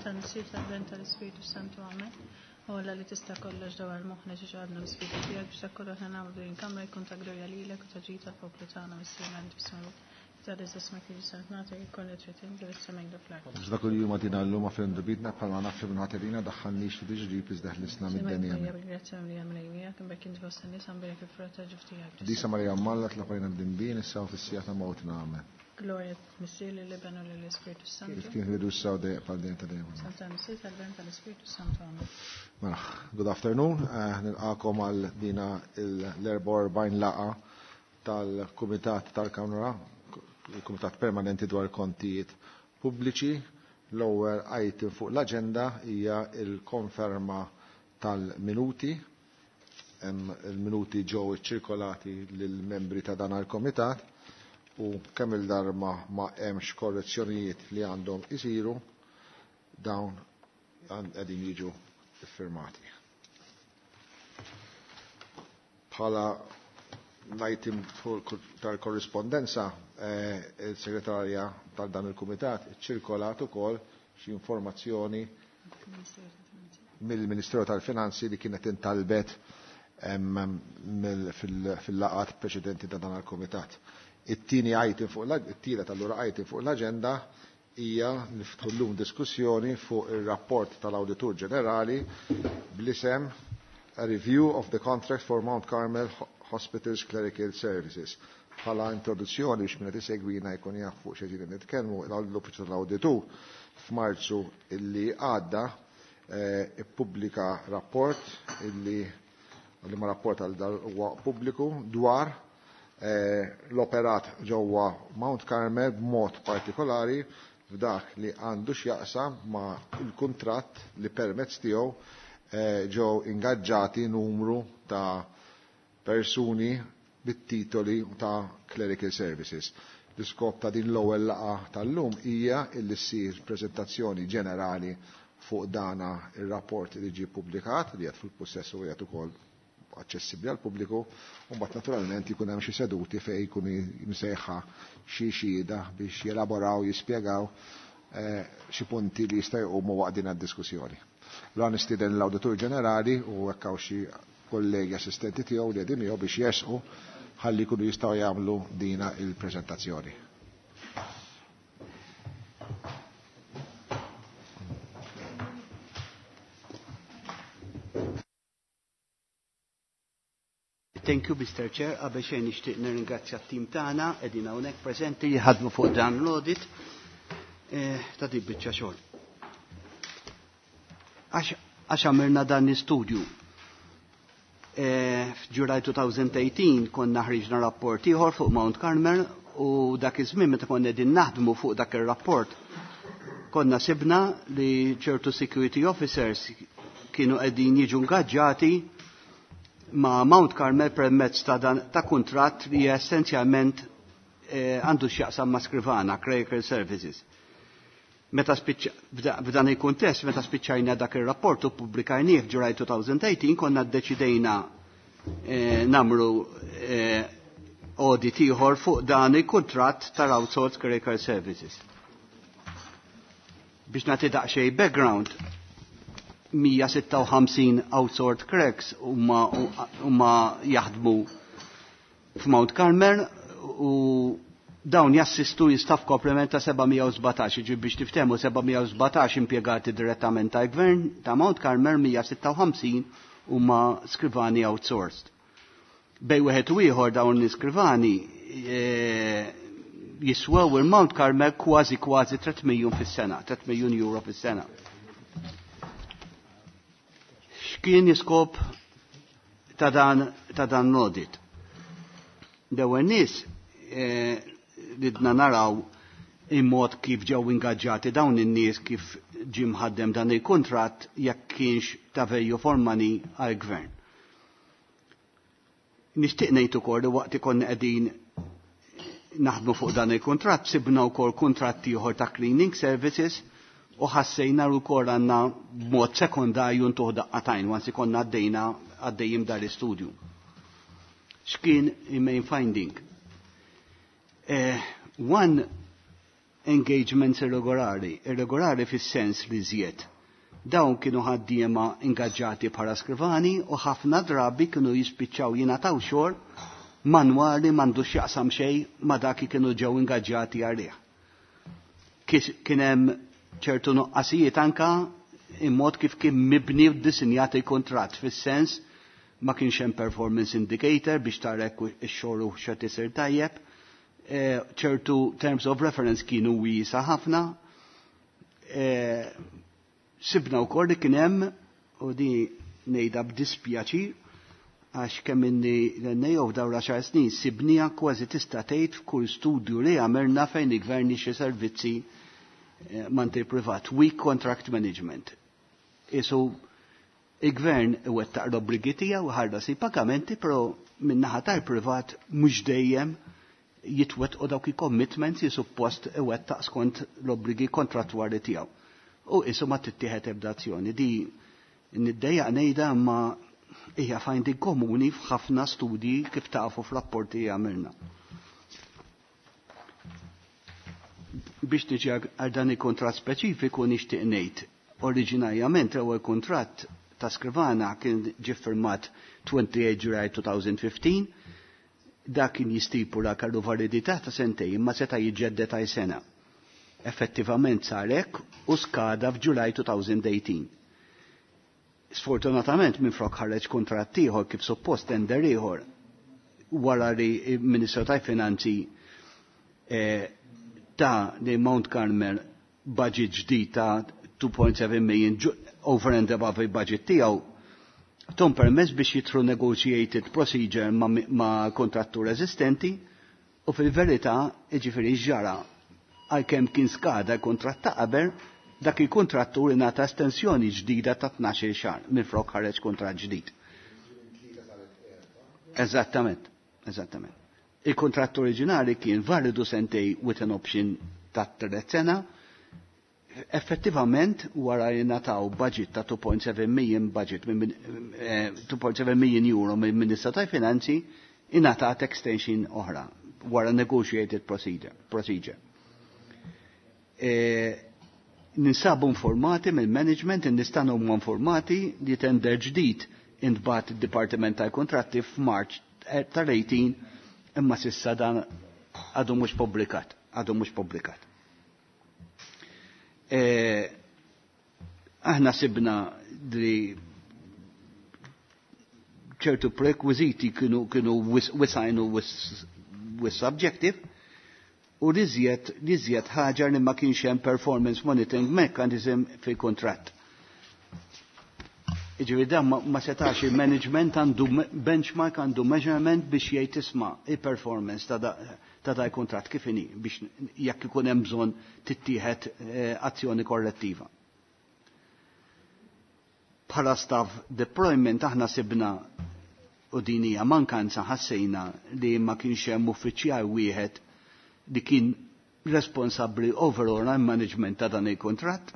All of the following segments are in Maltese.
Tal-Missier tal-Ben tal-Ispiritu Santu Amen. O Alla li tista' kollox dawar moħħna xi ġabna l-Ispiritu tiegħek biex dak kollu aħna nagħmlu din il-kamra jkun ta' glorja lilek u ta' ġid tal-poplu tagħna Missierna inti fis-sema. Biex dak li huma tina llum għafir ndubitna bħalma nafri minn ħaterina daħħalniex fi tiġrib iżda ħlisna mid-denja. Disa Marija Malla tlaqajna d-dimbin issa u fis-sija ta' mawtna amen. Gloria Missier lill-Iben u lill-Ispirtu Santu. Kif kien fil-bidu issa u dejjem bħal dejjem ta' dejjem. Santa Missier tal-Ben tal-Ispirtu Santu amen. Mela, good afternoon, eh, nilqakom għal dina l-44 laqa tal-Kumitat tal-Kamra, il-Kumitat Permanenti dwar Kontijiet Pubbliċi. L-ewwel item fuq l-aġenda hija l-konferma tal-minuti. Il-minuti ġew iċċirkolati lill-membri ta' dan il-Komitat u kemm il-darba ma hemmx korrezzjonijiet li għandhom isiru dawn qegħdin jiġu iffirmati. Bħala l-item tal-korrispondenza, eh, il-segretarja tal dan il-kumitat ċirkolat ukoll xi informazzjoni mill-Ministeru tal-Finanzi li kienet intalbet fil-laqat preċedenti ta' dan il-kumitat. It-tieni item fuq it-tielet allura item fuq l-aġenda hija niftħu llum diskussjoni fuq ir-rapport tal-Awditur Ġenerali bl-isem A Review of the Contract for Mount Carmel Hospital's Clerical Services. Bħala introduzzjoni biex min qed isegwina jkun jaf fuq xi nitkellmu, l-Uffiċċju tal-Awditur f'Marzu illi għadda eh, ippubblika rapport illi li ma rapport għal dal huwa pubbliku dwar eh, l-operat ġewwa Mount Carmel b'mod partikolari f'dak li għandu x'jaqsam ma' il-kuntratt li permezz tiegħu eh, ġew ingaġġati numru ta' persuni bit-titoli ta' clerical services. L-iskop ta' din l-ewwel laqgħa tal-lum hija illi ssir preżentazzjoni ġenerali fuq dana ir-rapport li ġie ppubblikat li qed fil-pussess u qiegħed ukoll aċċessibbli għal pubbliku, u mbagħad naturalment jkun hemm xi seduti fejn jkunu msejħa xi xhieda biex jelaboraw, jispjegaw eh, xi punti li jista' jqumu waqt din id-diskussjoni. L nistieden l-Awditur Ġenerali u hekk hawn xi kollegi assistenti tiegħu li qegħdin miegħu biex jersqu ħalli jkunu jistgħu jagħmlu dina il-preżentazzjoni. Thank you, Mr. Chair. Qabel xejn nixtieq nirringrazzja t-tim tagħna qegħdin hawnhekk preżenti li ħadmu fuq dan l-audit eh, ta' din biċċa xogħol. Għax għamilna dan l-istudju. Eh, F'Ġulaj 2018 konna ħriġna rapport ieħor fuq Mount Carmel u dak iż-żmien meta konna qegħdin naħdmu fuq dak ir-rapport konna sibna li ċertu security officers kienu qegħdin jiġu ngaġġati ma' Mount Carmel permezz ta', dan, ta' kuntratt li essenzjalment eh, għandu x'jaqsam ma' skrivana, Clerical Services. Meta f'dan il-kuntest, meta spiċċajna dak ir-rapport u pubblikajnieh f'Ġulaj 2018, konna ddeċidejna eh, namru eh, audit ieħor fuq dan il-kuntratt tal-outsourced Clerical Services. Biex nagħti daqsxejn background, 156 outsourced clerks huma jaħdmu f'Mount Carmel u dawn jassistu jistaff komplement ta' 717, ġi biex tiftemu 717 impjegati direttament ta' gvern ta' Mount Carmel 156 huma skrivani outsourced. Bej wieħed u ieħor dawn l-iskrivani e, jiswew il-Mount Carmel kważi kważi 3 miljun fis-sena, 3 miljun euro fis-sena. X'kien iskop ta' dan ta' dan l-audit? L-ewwel nies eh, ridna naraw il-mod kif ġew ingaġġati dawn in-nies kif ġie mħaddem dan il-kuntratt jekk kienx ta' value for money għall-gvern. Nixtieq ngħid ukoll li waqt ikonna qegħdin naħdmu fuq dan il-kuntratt sibna wkoll kuntratt ieħor ta' cleaning services u ħassejna wkoll għandna b'mod sekondarju ntuħ daqqatajn once ikonna għaddejna għaddejjim dal-istudju. X'kien il-main finding? Eh, one, engagements irregolari, irregolari fis-sens li żjed. Dawn kienu ħaddiema ingaġġati bħala skrivani u ħafna drabi kienu jispiċċaw jingħataw xogħol manwali m'għandux x'jaqsam xejn ma' dak li kienu ġew ingaġġati għalih. Kien hemm ċertu nuqqasijiet anka in-mod kif kien mibni u ddisinjat il-kuntratt fis-sens ma kienx hemm performance indicator biex tara jekk ix-xogħol hux qed isir tajjeb. Ċertu terms of reference kienu wiesa ħafna. Sibna wkoll li kien hemm, u di ngħidha b'dispjaċir, għax kemm inni l-NAO f'dawn l-għaxar snin sibniha kważi tista' tgħid f'kull studju li għamilna fejn il-gvern jixtri servizzi manti privat, weak contract management. Isu il-gvern iwettaq l-obbligi tiegħu ħallas il-pagamenti, però min-naħa tal-privat mhux dejjem jitwettqu dawk il-commitments li suppost iwettaq skont l-obbligi kontrattwali tiegħu. U isu ma tittieħed ebda azzjoni. Di niddejjaq ngħidha imma hija finding komuni f'ħafna studji kif tafu f'rapporti li għamilna. Biex niġi għal dan il-kuntratt speċifiku nixtieq ngħid, oriġinarjament l-ewwel kuntratt ta' Skrivana kien ġie ffirmat 28 July 2015, dak kien jistipula kellu validità ta' sentejn imma seta' jiġġedded għal sena. Effettivament sar hekk u skada f'July 2018. Sfortunatament minflok ħareġ kuntratt ieħor kif suppost tender ieħor wara li l-Ministru tal-Finanzi ta' li Mount Carmel budget ġdid ta' 2.7 million over and above il-budget tiegħu, tom permess biex jitru negotiated procedure ma' kontrattur eżistenti u fil-verità jiġifieri ġara għalkemm kien skada l-kuntratt ta' qabel, dak il-kontrattur ingħata estensjoni ġdida ta' 12 xahar minflok ħareġ kuntratt ġdid. Eżattament, eżattament. Il-kuntratt oriġinali kien validu sentej with an option ta' tliet sena. Effettivament wara li ngħataw budget ta' 2.7 million budget minn 2.7 million euro minn Ministru tal-Finanzi ingħatat extension oħra wara negotiated procedure. Ninsabu informati mill-management, nistanu huma informati li tender ġdid intbagħat id-Dipartiment tal-Kontratti f'March tal-18 imma sissa dan għadu mhux pubblikat, għadu mhux pubblikat. Aħna sibna li ċertu prerequisiti kienu wisajnu wis subjective u li żjed ħaġa li ma kienx hemm performance monitoring mechanism fil-kontratt. Jiġifieri dan ma setax il-management għandu benchmark, għandu measurement biex jgħid isma' il-performance ta' da l-kuntratt kif inhi biex jekk ikun hemm bżonn tittieħed azzjoni korrettiva. Bħala staff deployment aħna sibna u din hija mankanza ħassejna li ma kienx hemm uffiċjal wieħed li kien responsabbli overall għal management ta' dan il-kuntratt.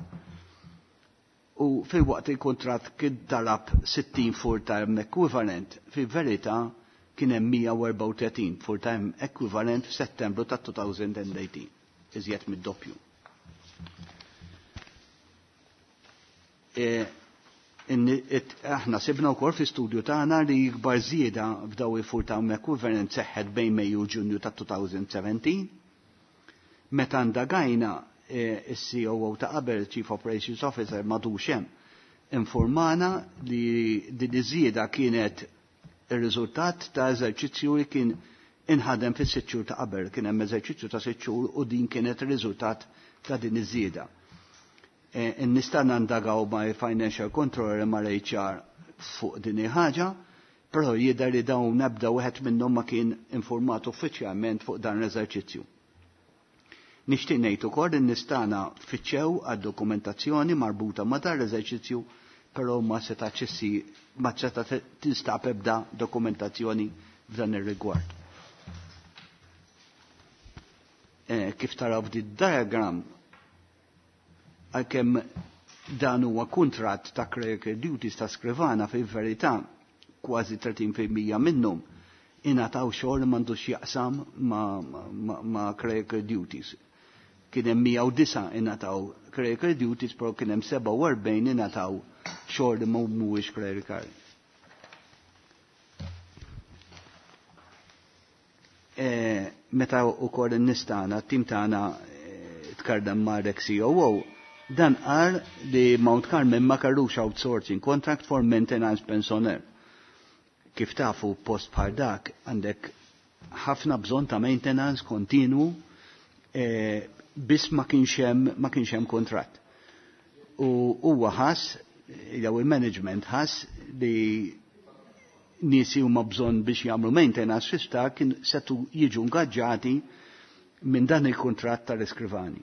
U fil-waqt il-kuntratt kien talab 60 full-time equivalent, fil-verità kien hemm 134 full-time equivalent f'Settembru ta' 2018, iżjed mid-doppju. Aħna sibna wkoll fi studju tagħna li ikbar żieda f'daw il-full-time equivalent seħħet bejn Mejju u Ġunju ta' 2017. Meta ndagajna is-COO ta' qabel, Chief Operations Officer, madux hemm, informana li din iż-żieda kienet ir-riżultat ta' eżerċizzju li kien inħadem fis-sitt xhur ta' qabel, kien hemm eżerċizzju ta' sitt xhur u din kienet ir-riżultat ta' din iż-żieda. Nista' nandagaw ma' financial controller ma' HR fuq din il-ħaġa, però jidher li dawn nebda wieħed minnhom ma kien informat uffiċjalment fuq dan l-eżerċizzju. Nixtieq ngħid ukoll li nistana fittxew għad-dokumentazzjoni marbuta ma' dan l-eżerċizzju, però ma setax issir, ma seta' tinstab ebda dokumentazzjoni f'dan ir-rigward. Kif taraw f'din diagram, għalkemm dan huwa kuntratt ta' clerical duties ta' skrivana fil-verità kważi 30% minnhom ingħataw xogħol m'għandux jaqsam ma' clerical duties. Kien hemm 109 ingħataw clerical duties, però kien hemm 47 ingħataw xogħol li mhuwiex clerical. Meta wkoll in-nies tagħna, t-tim tagħna tkardem ma' Rex COO, dan qal li Mount Carmel ma kellux outsourcing contract for maintenance personnel. Kif tafu post bħal dak għandek ħafna bżonn ta' maintenance kontinu, biss ma kienx hemm kontratt. U huwa ħass, jew il-management ħass li nies huma bżonn biex jagħmlu maintenance fi kien setu jiġu ngaġġati minn dan il-kontratt tal-iskrivani.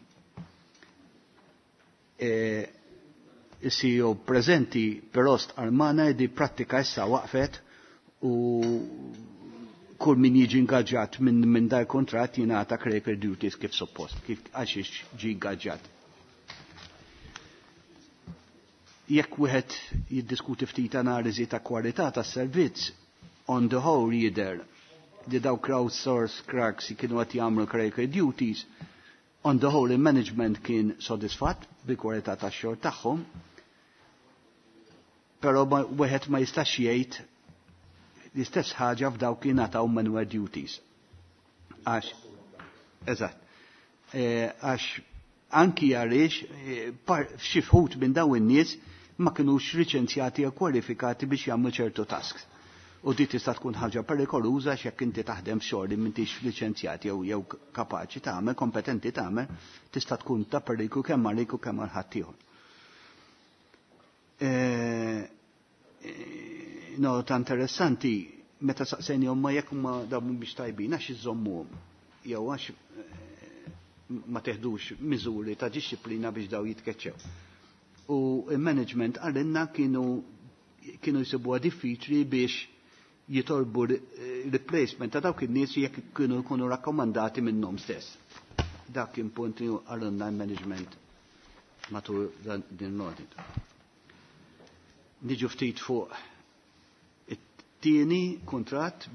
Il-CEO preżenti però stqarr magħna di prattika issa waqfet u kull min jiġi ingaġġat minn dal kontratt jingħata clerical duties kif suppost, kif għaxiex ġi ingaġġat. Jekk wieħed jiddiskuti ftit analiżi ta' kwalità tas-servizz, on the whole jidher li daw crowdsource clerks kienu qed jagħmlu clerical duties, on the whole il-management kien sodisfatt bil-kwalità tax-xogħol tagħhom, però wieħed ma jistax jgħid l-istess ħaġa f'dawk li ngħataw manual duties. Għax, eżatt, għax anki għaliex f'xi wħud minn dawn in-nies ma kinux liċenzjati jew kwalifikati biex jagħmlu ċertu tasks. U di tista' tkun ħaġa perikoluża x'jekk inti taħdem xogħol li m'intix liċenzjati jew kapaċi tagħmel, kompetenti tagħmel, tista' tkun ta' periklu kemm għalik u kemm għal ħaddieħor. Nota interessanti, meta saqsejnihom ma jekk huma dawn mhumiex tajbin għax iżommuhom jew għax ma teħdux miżuri ta' disċiplina biex daw jitkeċċew. U il-management għalinna kienu jsibuha diffiċli biex jitolbu replacement ta' dawk in-nies jekk kienu jkunu rakkomandati minnhom stess. Dak kien punt li għalunna l-management matul din l-audit. Niġu ftit fuq it-tieni kuntratt,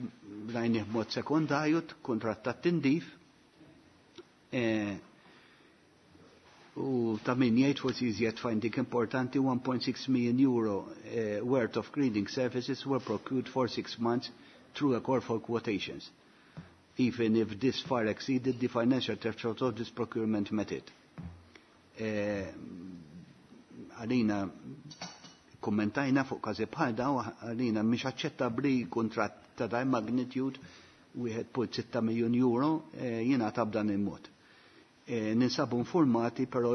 rajnih b'mod sekondarju, kuntratt ta' tindif. U ta' min jgħid forsi iżjed finding importanti, 1.6 million euro worth of cleaning services were procured for 6 months through a call for quotations, even if this far exceeded the financial threshold of this procurement method. Għalina kommentajna fuq każi bħal dawn, għalina mhix aċċettabbli kuntratt ta' daj magnitude 1.6 miljun euro jingħata b'dan il-mod. Ninsabu informati, però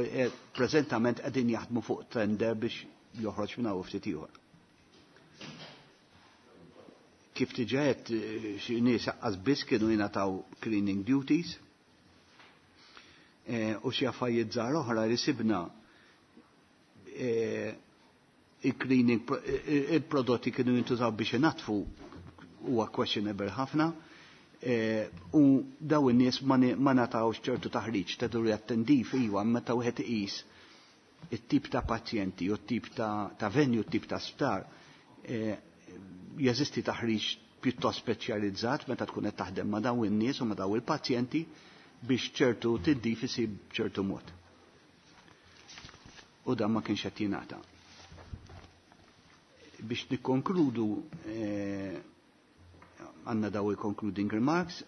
preżentament qegħdin jaħdmu fuq tender biex joħroġ minn hawn ftit ieħor. Kif diġà qed, xi nies aqqas biss kienu jingħataw cleaning duties, u xi affarijiet żgħar oħra li sibna, il-cleaning il-prodotti kienu jintużaw biex inatfu huwa questionable ħafna. U daw in-nies ma ngħatawx ċertu taħriġ ta' duri attendif iwa meta wieħed iqis it-tip ta' pazjenti u t-tip ta' venue, t-tip ta' sptar, jeżisti taħriġ pjuttost speċjalizzat meta tkun qed taħdem ma' dawn in-nies u ma' dawn il-pazjenti biex ċertu tindif isib ċertu mod. U dan ma kienx qed jingħata. Biex nikkonkludu, għandna daw il-concluding remarks,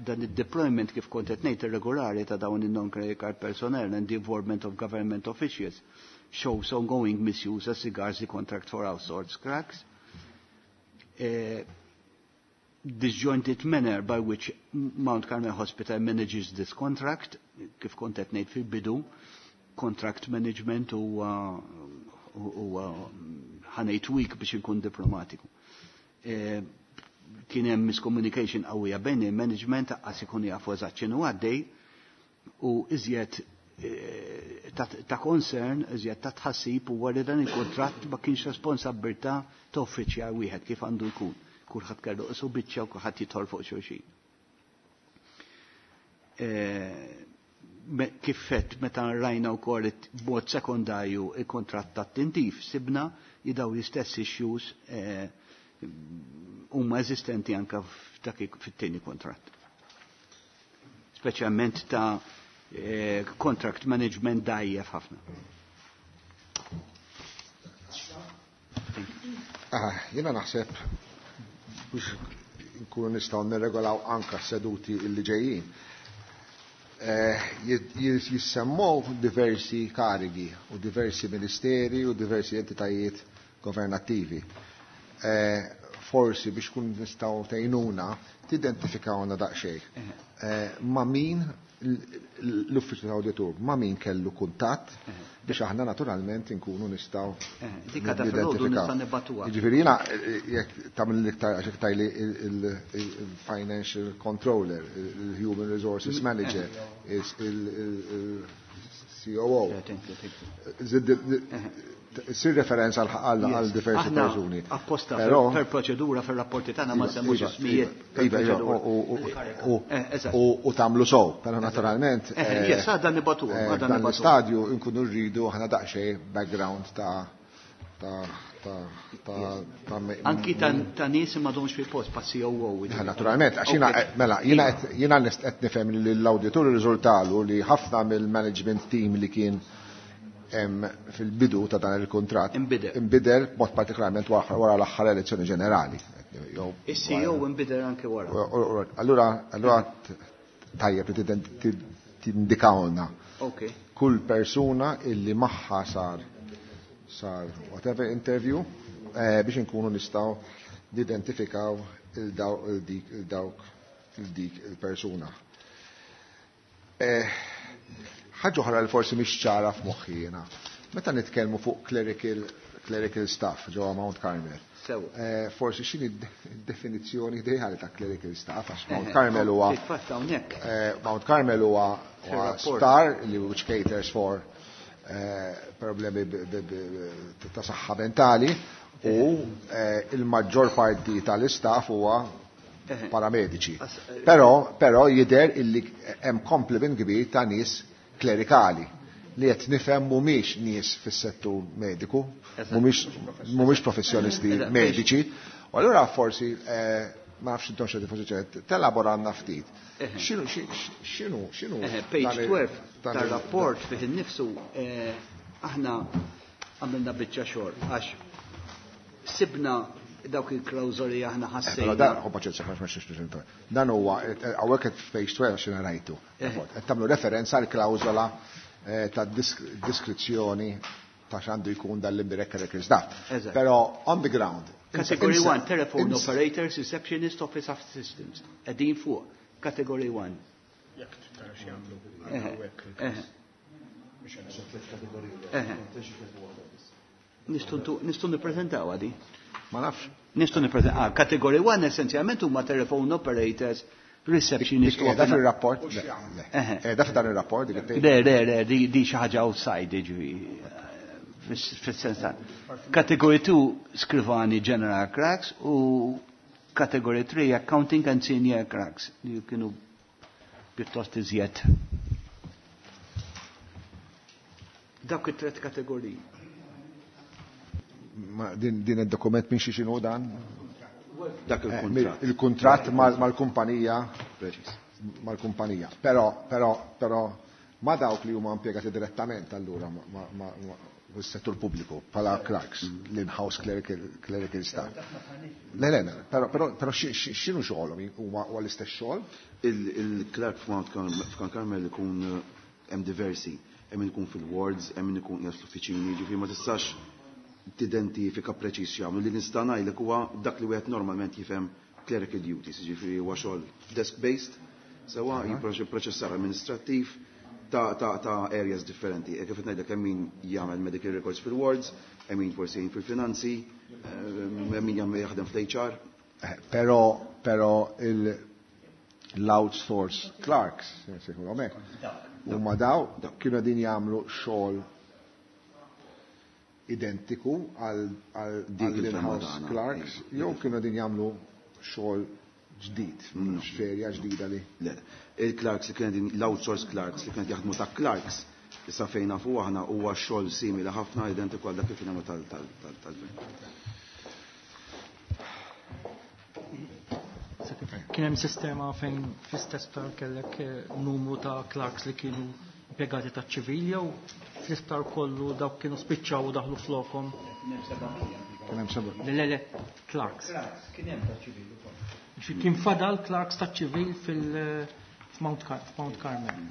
dan il-deployment kif kont qed ngħid irregolari ta' dawn il-non-clerical personnel and the involvement of government officials shows ongoing misuse as regards the contract for outsourced clerks. Disjointed manner by which Mount Carmel Hospital manages this contract, kif kont qed ngħid fil-bidu, contract management huwa ħanejt weak biex inkun diplomatiku. Kien hemm miscommunication qawwija bejn il-management għas ikun jafu eżatt x'inhu għaddej u iżjed ta' concern, iżjed ta' tħassib huwa li dan il-kontratt ma kienx responsabbiltà ta' uffiċjal wieħed kif għandu jkun. Kulħadd kellu qisu biċċa u kulħadd jidħol fuq xulxin. Kif fett meta rajna wkoll b'mod sekondarju il-kontratt tat-tindif sibna li daw l-istess issues huma eżistenti anke fit-tieni kontratt. Speċjalment ta' contract management dajjef ħafna. Jiena naħseb biex nkunu nistgħu nirregolaw anka seduti illi ġejjin. Jissemmow diversi karigi u diversi ministeri u diversi entitajiet governattivi. Forsi biex kun nistgħu tgħinuna tidentifikawna daqsxejn. Ma' min l-uffiċċju tal-awditur, ma' min kellu kuntatt biex aħna naturalment inkunu nistgħu Dik għadha filgħodu nista' nibagħtuha. Jiġifieri jiena jekk tagħmel l-iktar għax jekk tgħidli il-financial controller, il-human resources manager, il-COO. Sir referenza għal diversi persuni. Apposta per proċedura fir-rapporti tagħna ma semmux ismijiet. U tagħmlu sow, però naturalment. Yes, għadha nibagħtuha. Dan l-istadju nkunu rridu aħna daqsxejn background ta' Anki ta' nies m'għadhomx fil-post pa' COO. Naturalment, għax jiena mela jiena jiena qed nifhem li l-awditur irriżultalu li ħafna mill-management team li kien fil-bidu ta' dan il-kuntratt inbidel b'mod partikolarment wara l-aħħar elezzjoni ġenerali. Is-CEO inbidel anke wara. Allura tajjeb li tindikawlna. Kull persuna illi magħha sar whatever interview biex inkunu nistgħu nidentifikaw il-dawk il-dik il-persuna. Ħaġa oħra li forsi mhix ċara f'moħħi jiena. Meta nitkellmu fuq clerical staff ġewwa Mount Carmel. Forsi x'inhi d-definizzjoni ideali ta' clerical staff għax Mount Carmel huwa Mount Carmel huwa sptar li which caters for problemi ta' saħħa mentali u il-maġġor parti tal-istaff huwa paramediċi. Però jidher illi hemm complement kbir ta' nies klerikali li qed nifhem mhumiex nies fis-settur mediku, mhumiex professjonisti mediċi. U allura forsi ma nafx intom xi forsi telaboranna ftit. X'inhu x'inhu Page 12 tar-rapport fih innifsu aħna għamilna biċċa xogħol għax sibna dawk il-klawżoli aħna ħassejna. Dan Dan huwa hawnhekk qed f'page 12 x'inhu rajtu. Qed tagħmlu referenza għal klawżola ta' diskrizzjoni ta' x'għandu jkun dal-indirect clerical staff. Però on the ground. Category 1, telephone operators, receptionist, office assistants. Qegħdin fuq, category 1. Jekk tara x'jagħmlu. Nistgħu nippreżentaw għadi? Ma nafx. Nistgħu nippreżentaw. Category 1 essenzjalment huma telephone operators, receptionist. Da fil-rapport? Da f'dan il-rapport? Le, le, le, di xi ħaġa outside, ġifieri. Fis-sens ta' Category 2 skrivani general clerks u category 3 accounting and senior clerks li kienu pjuttost iżjed. Dawk it-tret kategoriji. Ma din id-dokument minn xi x'inhu dan? Dak il-kuntratt. Il-kuntratt mal-kumpanija. Mal-kumpanija. Però ma dawk li huma impjegati direttament allura ma fis-settur pubbliku bħala clerks, l-in-house clerical staff. Le, le, però x'inhu xogħolhom? Huma l-istess xogħol? Il-clerk f'Mount Carmel ikun hemm diversi, hemm min ikun fil-wards, hemm min ikun qiegħed fl-uffiċini, ġifieri ma tistax tidentifika preċiż x'jagħmlu. Li nista' ngħidlek huwa dak li wieħed normalment jifhem clerical duties, ġifieri huwa xogħol desk-based, sewa jipproċessar amministrattiv ta' areas differenti. E kif qed ngħidlek hemm min jagħmel medical records fil-wards, hemm min forsi jgħin fil-finanzi, hemm min jaħdem fl-HR. Però l-outsource clerks, sejħulhom hekk, huma daw kienu qegħdin jagħmlu xogħol identiku għal Dik il-firma in-house tagħna. clerks, jew kienu qegħdin jagħmlu xogħol ġdid, xferja ġdida li. Le, il-clerks li kienet l-outsource clerks li kienet jaħdmu ta' clerks, issa fejn nafu aħna huwa xogħol simili ħafna identiku għal dak li kien jagħmlu tal-gvern. Kien hemm sistema fejn fl-istess sptar kellek numru ta' clerks li kienu impjegati ta' ċivil jew fl-isptar kollu dawk kienu spiċċaw u daħlu flokhom. Kien hemm seba'. Le, le, le, clerks. Kien hemm ta' ċivil ukoll. Kien fadal clerks ta' ċivil fil-Mount Carmel.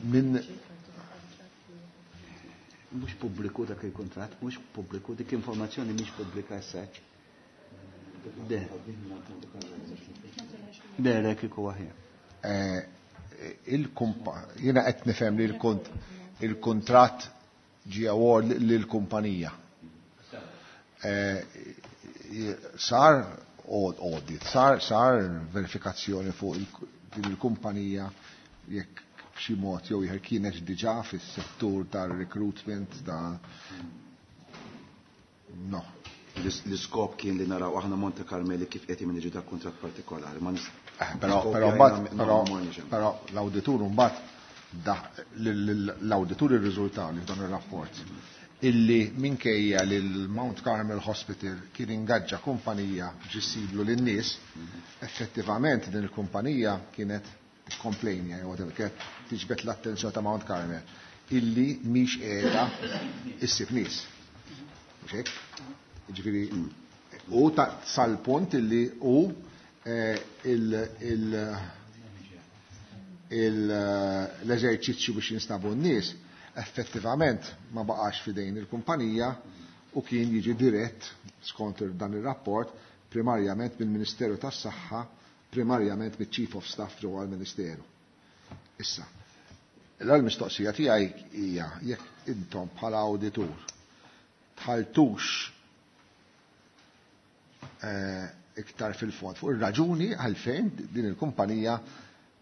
Min Mhux pubbliku dak il-kuntratt, mhux pubbliku, dik informazzjoni mhix pubblika issa. De. De, le kieku aħjar. Jiena qed nifhem li il-kuntratt ġie award lill-kumpanija. Sar audit, sar verifikazzjoni fuq din il-kumpanija jekk b'xi mod jew ieħor kienet diġà fis-settur tar-recruitment ta' no. L-iskop kien li naraw aħna Monte Carmeli kif qed jimniġu dak kuntratt partikolari. Ma Però l-awditur mbagħad l-awditur irriżulta li f'dan ir-rapport illi minkejja li l-Mount Carmel Hospital kien ingaġġa kumpanija biex issiblu lin-nies, effettivament din il-kumpanija kienet tikkomplejnja jew whatever, kienet tiġbed l-attenzjoni ta' Mount Carmel illi mhix qiegħda issib nies. Mhux hekk? Jiġifieri u sal-punt illi hu l-eżerċizzju biex jinstabu n-nies effettivament ma baqax fidejn il-kumpanija u kien jiġi dirett skont dan ir-rapport primarjament mill-Ministeru tas-Saħħa, primarjament mill-Chief of Staff ġewwa l-Ministeru. Issa, l-mistoqsija tiegħi hija jekk intom bħala awditur tħaltux iktar fil-fond fuq ir-raġuni għalfejn din il-kumpanija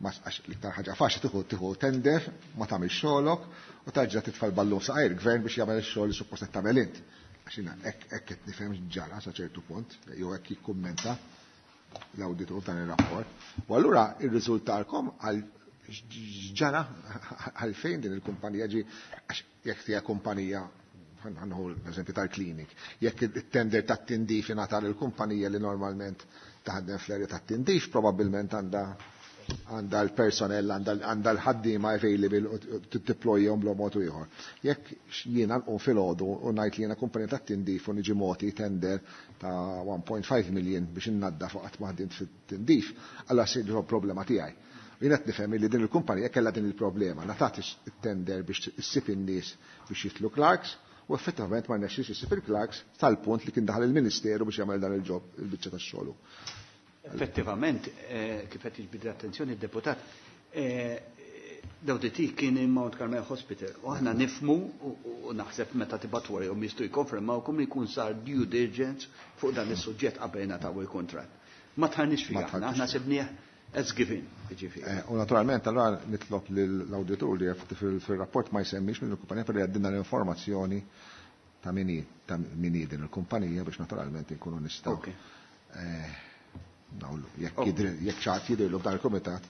ma għax l-iktar ħaġa faċli tieħu tender, ma tagħmel xogħolok u tarġa' titfa' l-ballun saqajr il-gvern biex jagħmel ix-xogħol li suppost qed tagħmel int. Għax jiena hekk qed nifhem ġara sa ċertu punt, jew hekk jikkummenta l-awditur dan ir-rapport. U allura irriżultalkom għal ġara għalfejn din il-kumpanija ġi għax jekk hija kumpanija ħanħu l-eżempju tal-klinik, jekk it-tender tat-tindif ingħata lill-kumpanija li normalment taħdem fl-area tat-tindif, probabbilment għandha l-personnel, għandha l-ħaddiema available u tiddeployhom bla mod ieħor. Jekk jiena nqum filgħodu u ngħid li jiena kumpanija tat-tindif u niġi moti tender ta' 1.5 million biex innaddaf u qatt ma ħdimt fit-tindif, allura ssir problema tiegħi. Jien qed nifhem li din il-kumpanija kellha din il-problema, ngħatat it-tender biex issib in-nies biex jitlu clerks u effettivament ma rnexxiex issib il-clerks tal-punt li kien daħal il-Ministeru biex jagħmel dan il-ġob il-biċċa tax-xogħol. Effettivament, kif qed jiġbid l-attenzjoni d-deputat, l-awditi kien in Mount Carmel Hospital u aħna nifmu u naħseb meta tibgħat warahom jistgħu jikkonfermawkom li jkun sar due diligence fuq dan is-suġġett qabel ingħataw il-kuntratt. Ma tħarniex fih aħna, aħna sibnieh as given, jiġifieri. U naturalment allura nitlob lill-awditur li fil-rapport ma jsemmix minn il-kumpanija però jgħaddilna l-informazzjoni ta' min hi, ta' min hi din il-kumpanija biex naturalment inkunu nistgħu. Nawlu, jekk jekk xi ħadd jidhirlu f'dan il-kumitat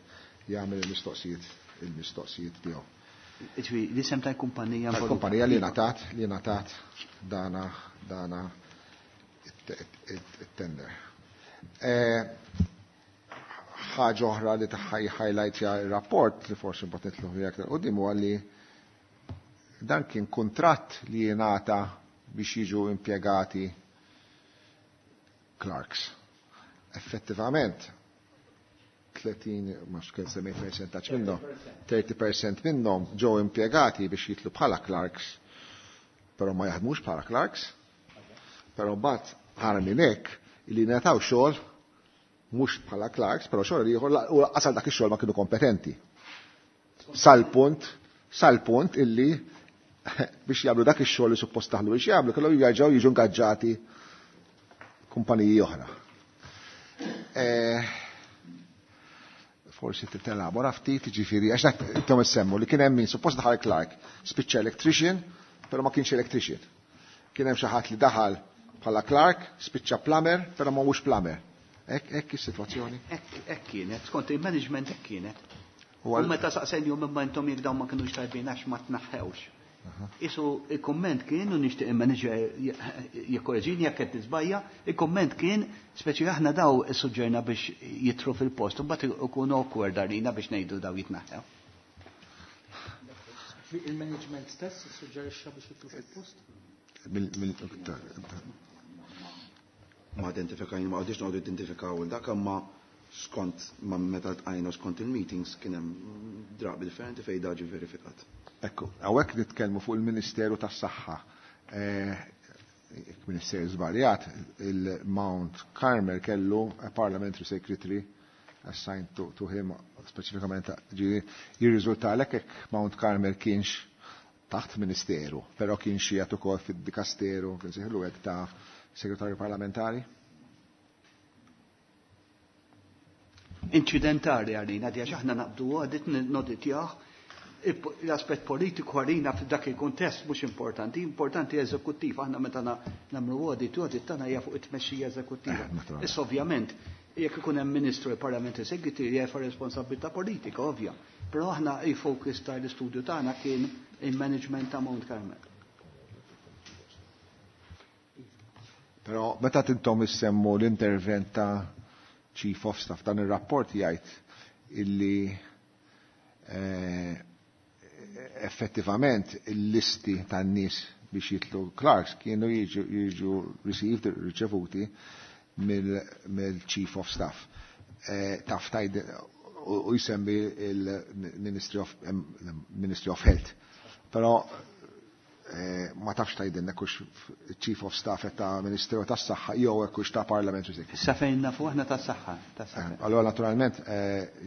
jagħmel il-mistoqsijiet tiegħu. Jiġifieri l-isem tal-kumpanija Tal-kumpanija li ngħatat, li ngħatat dana it-tender. Ħaġa oħra li tagħha highlight ir-rapport li forsi mbagħad nitlu fiha aktar quddiem huwa li dan kien kuntratt li jingħata biex jiġu impjegati clerks. Effettivament, 30, ma x'kien semmejt percentaġġ minnhom, 30% minnhom ġew impjegati biex jitlu bħala clerks, però ma jaħdmux bħala clerks, però mbagħad ħara minn hekk li ngħataw xogħol mhux bħala clerks, però xogħol ieħor u lanqas dak ix-xogħol ma kienu kompetenti. Sal-punt illi biex jagħmlu dak ix-xogħol li suppost taħlu biex jagħmlu kellhom jerġgħu jiġu ingaġġati kumpaniji oħra. Forsi titelabora ftit, jiġifieri, għax dak intom issemmu li kien hemm min suppost daħal clerk, spiċċa electrician, però ma kienx electrician. Kien hemm xi ħadd li daħal bħala clerk, spiċċa plumber, però ma mhux plumber. Hekk is-sitwazzjoni? Hekk kienet, skont il-management hekk kienet. U meta saqsejnihom imma intom jekk dawn ma kinux tajbin għax ma tnaħħewx. Isu il-komment kien, u nixtieq il-manager jikkoreġini jekk qed niżbajja, il-komment kien speċi aħna daw issuġġerna biex jitru fil-post, u mbagħad ikun awkward għalina biex ngħidu daw jitnaħħew. Il-management stess issuġġerixxa biex jitru fil-post? Ma identifikajna, ma għadix noqogħdu identifikaw dak imma skont ma meta ltqajna skont il-meetings kien hemm drabi differenti fejn daġi verifikat. Ekku, hawnhekk nitkellmu fuq il-Ministeru tas-Saħħa. Ministeru żbaljat, il-Mount Carmel kellu a parliamentary secretary assigned to him speċifikament jirriżulta għalhekk hekk Mount Carmel kienx taħt ministeru, però kien xi jagħtu ukoll fid-dikasteru, kien seħlu hekk ta' segretarju parlamentari. Inċidentali għalina, di għax aħna naqbdu għadit noditjaħ, l-aspett politiku għalina f'dak il-kontest mhux importanti, importanti eżekuttiv, aħna meta nagħmlu audit, audit tagħna hija fuq it-tmexxija eżekuttiva. Issa ovvjament, jekk ikun hemm ministru il-Parlament Executive jerfa' responsabilità politika, ovvja. Però aħna il-focus tal-istudju tagħna kien il-management ta' Mount Carmel. Però meta tintom issemmu l-intervent ta' Chief of Staff dan ir-rapport jgħid illi effettivament il-listi tan-nies biex jitlu Clarks kienu jiġu received, riċevuti mill-Chief of Staff. Taf tajd u jsemmi il-Ministry of, Ministry of Health. Però ma tafx tgħidilna hux Chief of Staff ta' Ministeru tas-Saħħa jew hekk hux ta' Parliamentary Secretary. Sa fejn nafu aħna tas-saħħa, tas-saħħa. Allora naturalment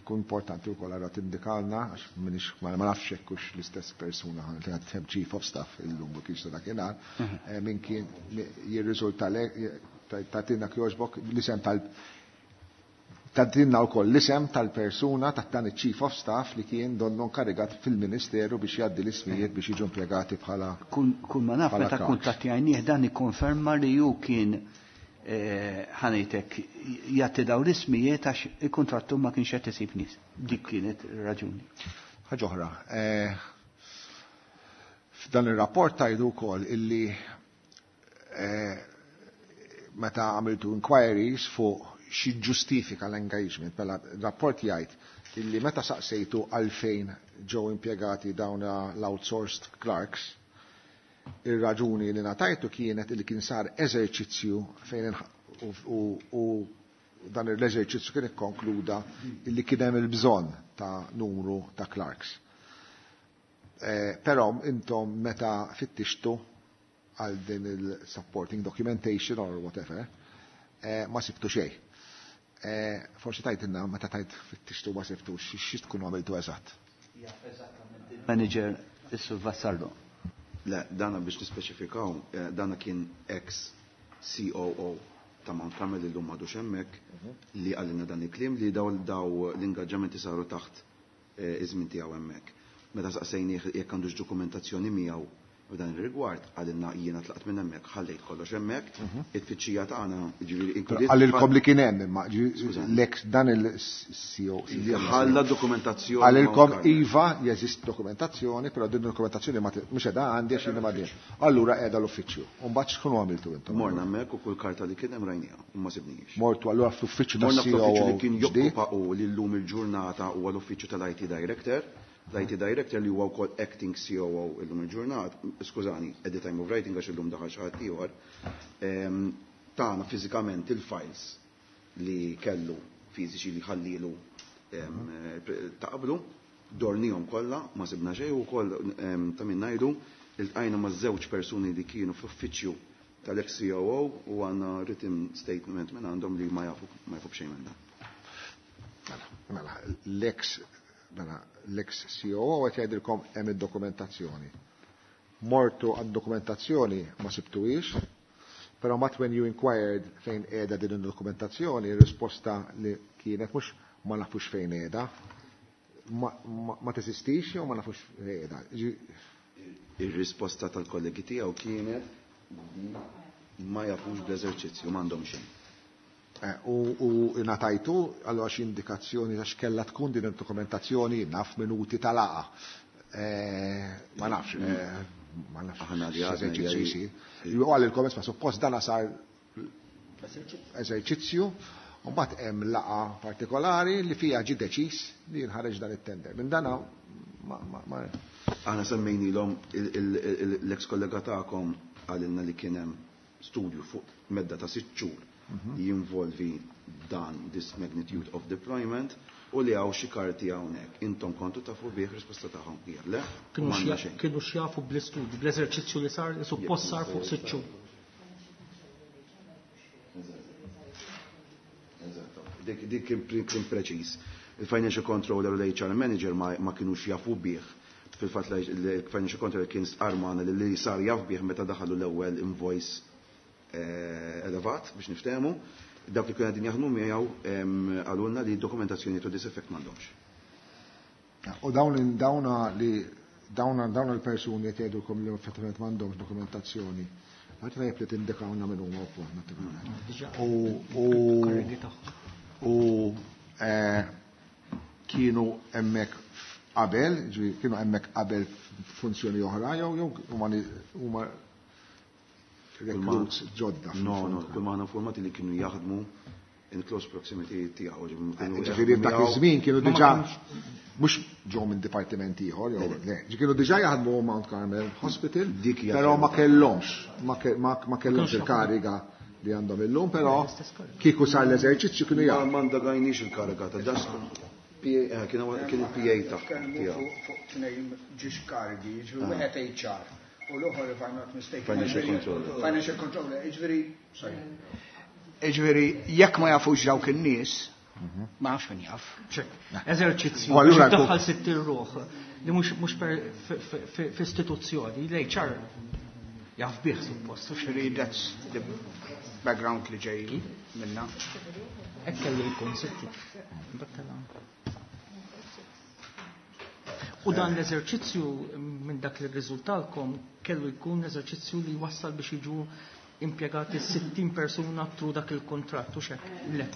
ikun importanti wkoll allura tindikalna għax minix ma nafx hekk hux l-istess persuna li qed hemm Chief of Staff illum u kienx ta' dakinhar, min kien jirriżulta tagħtina kjoġbok l-isem tal Tadinna wkoll l-isem tal-persuna ta' dan iċ-Chief of Staff li kien donnu inkarigat fil-Ministeru biex jgħaddi l-ismijiet biex jiġu impjegati bħala Kull ma naf bħala meta clerks. kuntattjajnieh dan ikkonferma li hu kien ħanejtek jagħti dawn l-ismijiet għax il-kontrattu ma kienx qed isib nies. Dik kienet ir-raġuni. Ħaġa oħra, f'dan ir-rapport tajdu wkoll illi meta għamiltu inquiries fuq xi ġustifika l-engagement, mela rapport jgħid illi meta saqsejtu għalfejn ġew impjegati dawn l-outsourced clerks, ir-raġuni li ngħatajtu kienet illi kien sar eżerċizzju fejn u dan l-eżerċizzju kien ikkonkluda illi kien hemm il-bżonn ta' numru ta' clerks. Però intom meta fittixtu għal din il-supporting documentation or whatever, ma sibtu xejn. Forsi tajtinna, meta tajt fittixtu ma sibtu, xi tkunu għamiltu eżatt? Manager Issu Vassallo. Le, dana biex nispeċifikaw, dana kien ex COO ta' Mount Carmel illum m'għadux hemmhekk li għalina dan il-kliem li daw l-ingaġġamenti saru taħt iż-żmien tiegħu hemmhekk. Meta saqsejnieh jekk għandux dokumentazzjoni miegħu f'dan ir-rigward, għalina jiena tlaqt minn hemmhekk, ħallejt kollox hemmhekk, it-tfittxija tagħna, jiġifieri inkludiet Għalilkom li kien hemm, imma Skużani. l-ex dan il-C O Li ħalla dokumentazzjoni Għalilkom Mount Carmel. iva jeżist dokumentazzjoni, però din dokumentazzjoni mhux qiegħda għandi għax jiena m'għandix. Allura qiegħda l-uffiċċju. U mbagħad x'tkunu għamiltu intom? Morna hemmhekk u kull karta li kien hemm rajniha u ma sibnihiex. Mortu allura fl-uffiċċju Morna tas-C O fl-uffiċċju li kien ġdid? jokkupa u li llum il-ġurnata huwa l-uffiċċju tal-IT Director. L-IT Director li huwa wkoll acting COO illum il-ġurnata, skużani, at the time of writing għax illum daħal xi ħadd ieħor, tagħna fiżikament il-files li kellu fiżiċi li ħallilu ta' qablu, dornihom kollha, ma sibna xejn u wkoll ta' min ngħidu iltqajna ma' żewġ persuni li kienu fl-uffiċċju tal-ex COO u għandna written statement minn għandhom li ma jafu b'xejn minn dan. Mela, l-ex mela, l-ex COO qed jgħidilkom hemm id-dokumentazzjoni. Mortu għad-dokumentazzjoni ma sibtuhiex, però mat when you inquired fejn qiegħda din id-dokumentazzjoni, ir-risposta li kienet mhux ma nafux fejn qiegħda, ma teżistix jew ma nafux fejn qiegħda. Ir-risposta tal-kollegi tiegħu kienet li ma jafux bl-eżerċizzju, m'għandhom xejn. U ngħatajtu allura xi indikazzjoni ta' x'kellha tkun din id-dokumentazzjoni naf minuti tal-laqgħa. Ma nafx, ma nafx Aħna li għadna x'eżerċizzju hija- jsir. U għalilkom isma' suppost dana sar eżerċizzju, u mbagħad hemm laqgħa partikolari li fiha ġie deċiż li jinħareġ dan it-tender. Minn dana ma Aħna semmejnilhom l-ex kollega tagħkom qalilna li kien hemm studju fuq medda ta' 6 xhur li jinvolvi dan this magnitude of deployment u li hawn xi karti hawnhekk. Intom kontu tafu bih, risposta tagħhom hija le, u Kienu m'għandna xejn. Kienu xjafu bl-istudju, bl-eżerċizzju li sar, li suppost sar fuq 6 xhur. Eżatto. Dik kien preċiż. Il-financial controller u l-HR manager ma kienux jafu bih. Fil-fatt il-financial controller kien armana li sar jaf bih meta daħalu l-ewwel invoice elevat biex niftehmu. Dak li kienu qegħdin jaħdmu miegħu qalulna li dokumentazzjoni to this effect m'għandhomx. U dawn dawna li dawna dawn il-persuni qed jgħidulkom li effettivament m'għandhomx dokumentazzjoni. Ma tajjeb li tindikawna minn huma wkoll naturalment. Diġà U karrigi tagħhom. u kienu hemmhekk qabel, ġifieri kienu hemmhekk qabel funzjoni oħra jew huma recruits ġodda. No, kull ma aħna informati li kienu jaħdmu in close proximity tiegħu. Kienu Ġifieri jaħdmu f'dak miegħu. iż-żmien kienu Ma ma diġà kienux- mhux ġew minn dipartiment ieħor jew le, ġi kienu diġà jaħdmu Mount Carmel Hospital, Dik hija però ma kelma. kellhomx ma kellhomx kienux il-kariga li għandhom illum, però L-istess kariga. kieku sar l-eżerċizzju kienu Ma jaħdmu. ma ndagajniex il-kariga ta' das PA, kien il-PA Tkellmu tiegħu. fuq tnejn ġiex karigi, jiġifieri wieħed HR u l-oħor, if I'm not mistaken. Financial jiġifieri- controller. Financial controller, jiġifieri, sorry. Jiġifieri, jekk ma jafux dawk in-nies, ma nafx min jaf. Ċek, eżerċizzju U allura biex iddaħħal 60 ruħ li mhux f'istituzzjoni, l-HR jaf bih suppost. U xi Jiġifieri that's the background li ġej minna. Hekk kellu jkun 60. Battala. U dan l-eżerċizzju minn dak li rriżultalkom kellu jkun eżerċizzju li wassal biex jiġu impjegati 60 persuna through dak il-kontratt u xek. Le.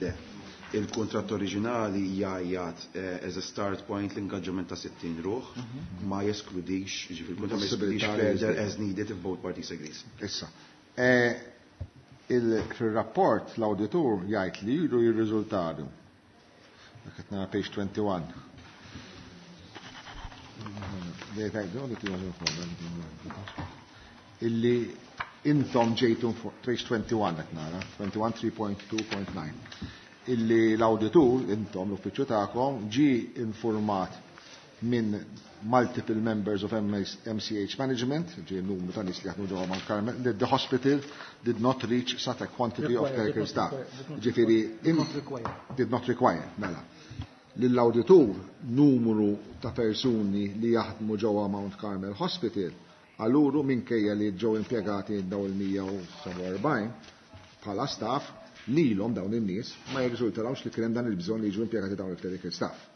Le. Il-kontratt oriġinali jgħajjat as a start point l-ingaġġament ta' 60 ruħ, ma jeskludix, ġifieri il-kontratt ma jeskludix Possibilità li further jiżdied. as needed if both parties agrees. Issa, fil-rapport l-auditur jgħid li jiru jirriżultatu. Dak qed nara page 21. Illi intom ġejtu fuq page 21 qed nara, 21.3.2.9. Illi l-auditur, intom l-uffiċċju tagħkom, ġi informat minn multiple members of MCH management, ġi numru ta' nies li jaħdmu ġewwa Mount Carmel, that the hospital did not reach such a quantity of Require, clerical did not staff. require, did not Ġifieri, Did not require. did not require, mela. Lill-auditur numru ta' persuni li jaħdmu ġewwa Mount Carmel Hospital għaluru minkejja li ġew impjegati daw il-147 bħala staff lilhom dawn in-nies ma jirriżultalhomx li kien hemm dan il-bżonn li jiġu impjegati dawn il-clerical staff.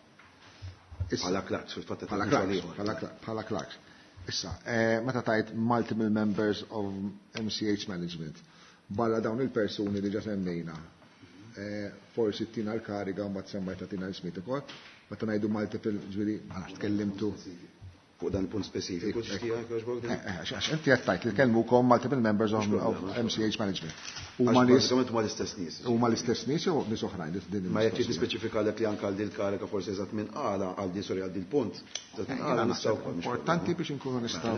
Issa- Bħala clerks, fil-fatt qed Bħala ngħidu clerks, ieħor. bħala clerks. Issa, meta tajt multiple members of MCH management, barra dawn il-persuni li ġa semmejna, forsi tina l-kariga u mbagħad semmajta tina l-ismiet ukoll, meta ngħidu multiple, ġifieri, ma nafx tkellimtu. Fuq dan il-punt speċifiku, tixtieq jogħġbok din? Għax inti qed tgħid li kellmukom multiple members of MCH management. Huma Għax nies bażikament huma l-istess nies. huma l-istess nies jew nies oħrajn din Ma jekk trid il-mistoqsija? nispeċifika lek li anke għal dil kariga forsi eżatt minn qala għal din, sorry, għal dil punt. Eżatt minn Jiena qala naħseb nistgħu wkoll, mhux importanti problema. biex inkunu nistgħu.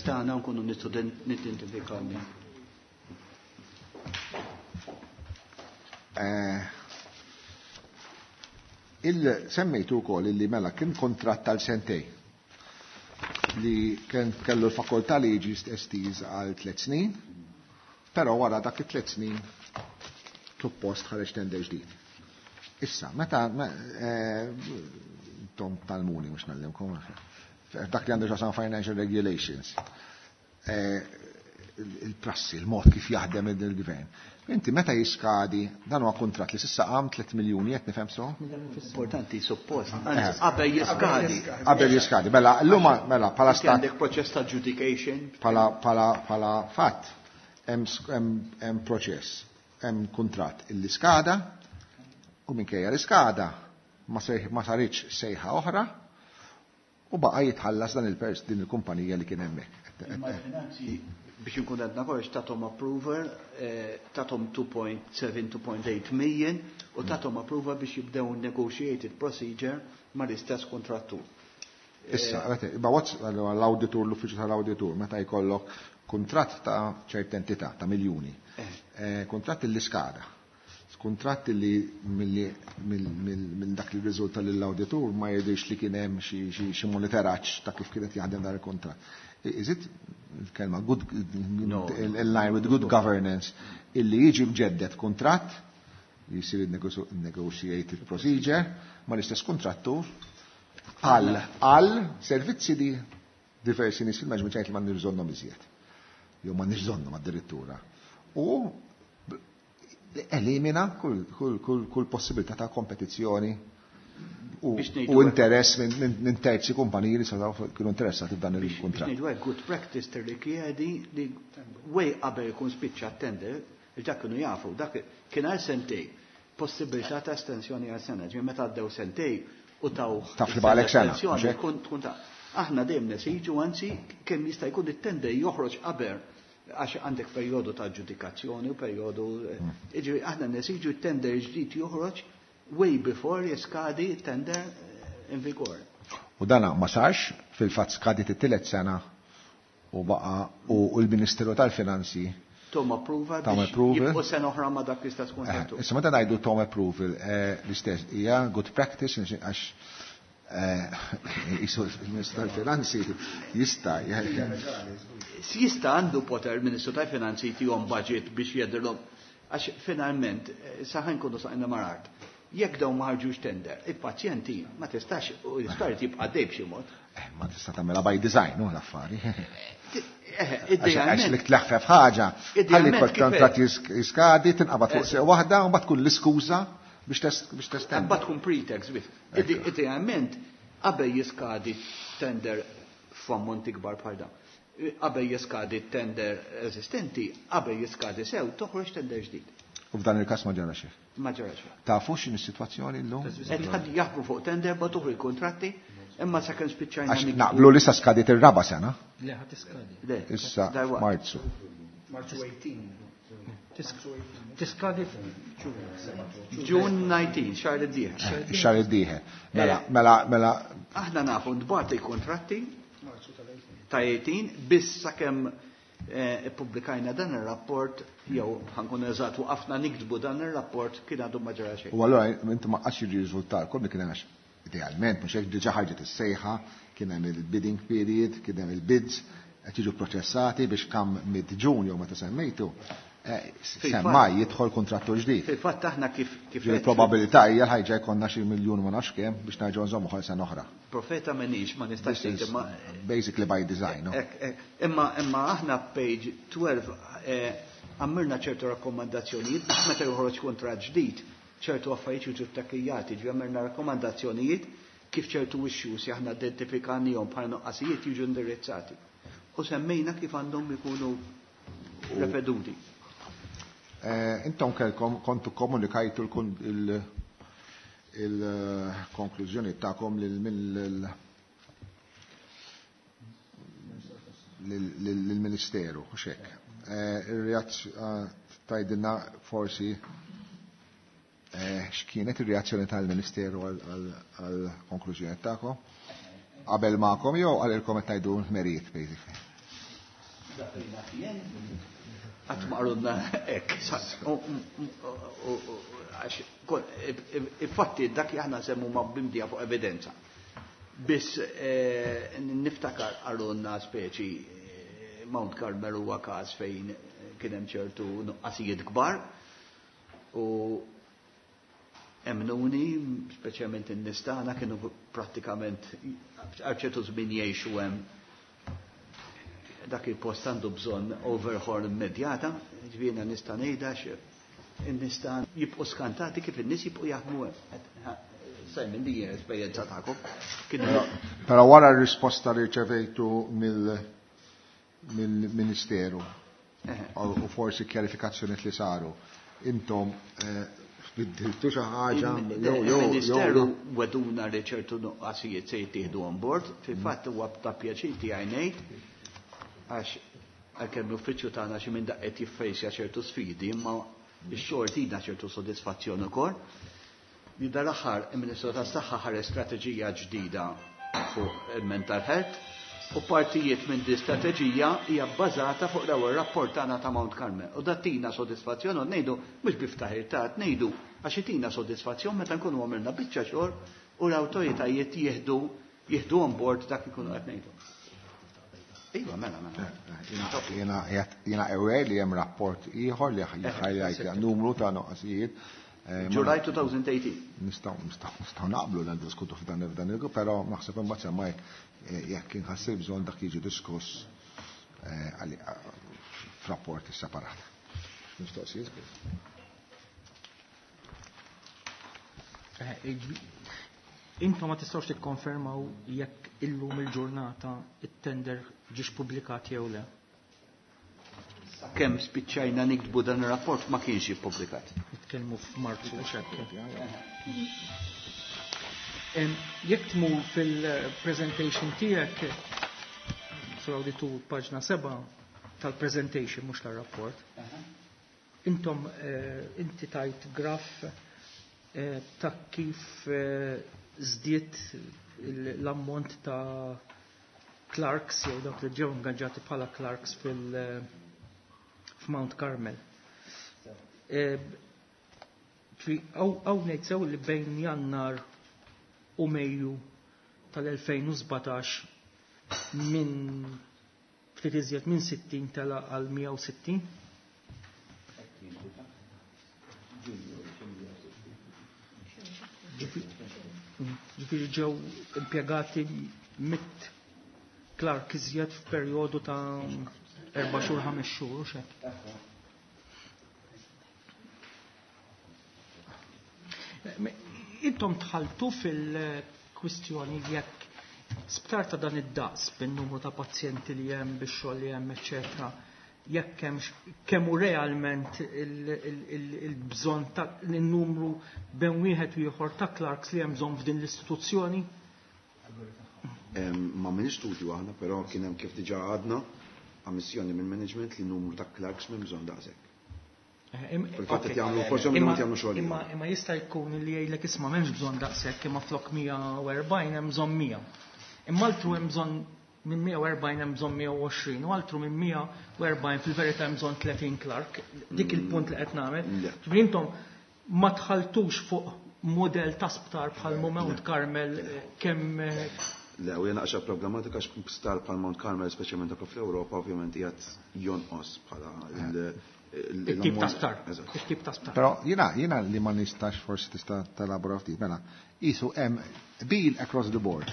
Stana nkunu nistgħu nidentifikaw. Il-semmejtu wkoll illi mela kien kontratt tal sentej li kien kellu l-fakoltà li jiġi estiż għal 3 snin, però wara dak it-3 snin suppost ħareġ tender ġdid. Issa, meta tom talmuni mhux nallimkom, dak li għandu x'jaqsam financial regulations, il-prassi, il-mod kif jaħdem il-gvern. Inti meta jiskadi, dan huwa kontratt li s'issa qam 3 miljuni qed nifhem so? Importanti suppost. Anzi, qabel jiskadi. Qabel jiskadi. Mela, llum mela bħala Inti stat għandek proċess ta' adjudication. bħala fatt. Hemm proċess, hemm kuntratt illi skada u minkejja li skada ma saritx sejħa oħra u baqa' jitħallas dan il-pers din il-kumpanija li kien hemmhekk. Imma l-finanzi biex inkun għedna kollox tathom approval, tathom 2.7-2.8 million u tathom approval biex jibdew negotiated procedure mal-istess kontrattur. Issa, ma what's l-auditur, l-uffiċċju tal-auditur, meta jkollok kuntratt ta' ċerta entità, ta' miljuni, kuntratt li skada, kuntratt li minn dak li riżulta lill-auditur ma jidhirx li kien hemm xi monitoraġġ ta' kif kienet jaħdem dan il-kuntratt. Is it il-kelma good in line with good governance illi jiġi mġeddet kuntratt jisir negotiated procedure ma l-istess kontrattur għal servizzi li diversi nies fil-management jgħid li m'għandniex bżonnhom iżjed. Jew m'għandniex bżonnhom addirittura. U elimina kull possibilità ta' kompetizzjoni u interess minn terzi kumpaniji li setgħu kienu interessati f'dan il-kuntratt. Biex ngħidu hekk, good practice tirrikjedi li way qabel ikun spiċċa t-tender, dak kienu jafu, dak kien għal sentej, possibilità ta' estensjoni għal sena, ġifieri meta għaddew sentej u taw Taf li baqgħalek sena, estensjoni, mhux hekk? tkun ta' aħna dejjem nesiġu, anzi kemm jista' jkun it-tender joħroġ qabel għax għandek perjodu ta' ġudikazzjoni u perjodu, jiġifieri aħna nesiġu t-tender ġdid joħroġ way before jiskadi tender in vigor. U dana ma sarx, fil-fatt skadiet it-tielet sena u baqa u l-Ministeru tal-Finanzi Tom approval Tom biex approval. jibqgħu sena oħra ma dak l-istess kontrattur. Issa meta ngħidu tom approval, l-istess hija good practice għax jisu il-Ministru tal-Finanzi jista' Jista' għandu poter il-Ministru tal-Finanzi tihom budget biex jedrilhom għax finalment saħan kunu saqna marart. Jekk dawn ma ħarġux tender, il-pazjenti ma tistax u l-isptar jibqa' dej b'xi mod. Ma tista' tagħmilha by design, u l-affari. Idealment. Għax li tleħfef ħaġa, ħalli Idealment kol kif kontrat hekk? jiskadi, tinqabad fuq seq waħda, u mbagħad tkun l-iskuża biex testendi. Mbagħad tkun pretext biex. Idealment, qabel jiskadi tender f'ammonti kbar bħal dan. Qabel jiskadi tender eżistenti, qabel jiskadi sew, toħroġ tender ġdid. U f'dan il-każ ma ġara xejn. Ma ġara xejn. Tafu x'inhi s-sitwazzjoni llum? Qed ħadd jaħdmu fuq tender, ma toħroġ kontratti, imma sakemm spiċċajna Għax nikbu. naqblu li sa skadiet ir-raba' sena. Le, ħadd iskadi. Le, Issa darwa. Marzu. Marzu 18. Tiskadi June 19, xahar id-dieħel. Xahar id-dieħel. Mela, mela, mela. Aħna nafu ntbagħat il-kontratti ta' 18 biss sakemm ippubblikajna dan ir-rapport jew ħankun eżatt waqafna niktbu dan ir-rapport kien għadu ma ġara xejn. U allura inti ma qasx jirriżultalkom li kien hemm għax idealment mhux hekk diġà ħarġet is-sejħa, kien hemm il-bidding period, kien hemm il-bids qed jiġu proċessati biex kam mid-Ġun jew meta semmejtu, semmaj jidħol kontrattur ġdid. Fil-fatt aħna kif Ġifieri probabilità hija l-ħajġa jkollna xi miljun ma nafx kemm biex nerġgħu nżommu ħal sena oħra. Profeta m'għandix, ma nistax This is ngħid, imma basically by design, no? Ek, ek, imma aħna page 12 għamilna ċertu rakkomandazzjonijiet biex meta joħroġ kuntratt ġdid, ċertu affarijiet jiġu ttakijati, ġifieri għamilna rakkomandazzjonijiet kif ċertu issues aħna identifikannihom bħala nuqqasijiet jiġu indirizzati. U semmejna kif għandhom ikunu repeduti. Intom kelkom kontu komunikajtu il-konklużjoni tagħkom lill-Ministeru, u xek. Tajdilna forsi x'kienet ir-reazzjoni tal-Ministeru għall-konklużjoni tagħkom? Qabel magħkom jew għalilkom qed tgħidu merit, basically? Qatt ma qalulna hekk, għax infatti dak li aħna semmu ma bimdija fuq evidenza. Biss niftakar qalulna speċi Mount Carmel huwa każ fejn kien hemm ċertu nuqqasijiet kbar u emnuni, speċjalment in-nies tagħna kienu prattikament għal ċertu żmien jgħixu hemm dak il-post għandu bżonn overhaul immedjata, ġifieri nista' ngħidha in-nies tagħna jibqgħu skantati kif in-nies jibqgħu jaħdmu hemm. Simon, din hija esperjenza tagħkom. Kienu Però wara r-risposta li rċevejtu mill-Ministeru, U forsi kjarifikazzjonijiet li saru. Intom biddiltu xi ħaġa jew jew Il-Ministeru weduna li ċertu nuqqasijiet se jittieħdu on board, fil-fatt huwa ta' pjaċir tiegħi ngħid għax għalkemm l-uffiċċju tagħna xi minn daqqa qed jiffejsja ċertu sfidi, imma x-xogħol tina ċertu sodisfazzjon ukoll. Li dal-aħħar il-Ministru tas-Saħħa ħareġ strateġija ġdida fuq il-mental health u partijiet minn di strateġija hija bbażata fuq l-ewwel rapport tagħna ta' Mount Carmel. U dat tina sodisfazzjon u ngħidu mhux bi ftaħir ta' ngħidu għax itina sodisfazzjon meta nkunu għamilna biċċa xogħol u l-awtoritajiet jieħdu jieħdu on board dak ikunu qed ngħidu. Iva, mela, mela. Jiena aware li hemm rapport ieħor li highlight numru ta' noqqasijiet. July 2018. Nistgħu naqblu li ndiskutu f'dan f'dan il però naħseb imbagħad semmaj jekk inħassib bżonn dak jiġi diskuss f'rapport separat. Mistoqsijiet? Intom ma tistgħux tikkonfermaw jekk illum il-ġurnata it-tender ġiex pubblikat jew le. Kemm spiċċajna niktbu dan ir-rapport ma kienx ippubblikat. Nitkellmu f'Marzu u hekk. Jekk tmur fil-presentation tiegħek, sur awditur paġna 7 tal-presentation mhux tar-rapport. Intom inti tajt graf ta' kif żdied l-ammont ta' clerks jew dawk li ġew ingaġġati bħala clerks fil f'Mount Carmel. Hawn ngħid sew li bejn Jannar u Mejju tal-2017 minn ftit iżjed minn 60 tela għal 160. Ġifieri ġew impjegati mit clerk iżjed f'perjodu ta' 4 xhur 5 xhur u xek. Intom tħaltu fil-kwistjoni jekk sptar ta' dan id-daqs bin-numru ta' pazjenti li hemm bix-xogħol li hemm eċetera, jekk hemmx kemm hu realment il-bżonn ta' n-numru bejn wieħed u ieħor ta' clerks li hemm bżonn f'din l-istituzzjoni? Ma minix studju aħna, però kien hemm kif diġà għadna ammissjoni minn management li numru ta' clerks m'hemm bżonn daqshekk. Fil-fatt qed jagħmlu forsi minnhom qed jagħmlu xogħol. Imma jista' jkun li jgħidlek isma' m'hemmx bżonn daqshekk imma flok 140 hemm bżonn 100. Imma altru hemm bżonn minn 140 hemm bżonn 120 u altru minn 140 fil-verità hemm bżonn 30 clerk. Dik il-punt li qed nagħmel. Ġifieri intom ma tħaltux fuq modell ta' sptar bħal Mount Carmel kemm Le, u jena għaxa problematika sptar bħal Mount Carmel, speċjalment anke fl-Ewropa, ovvjament qiegħed jonqos bħala il-tip ta' sptar. Il-tip ta' sptar. Però jiena li ma nistax forsi tista' telabora ftit, mela, qisu hemm qbil across the board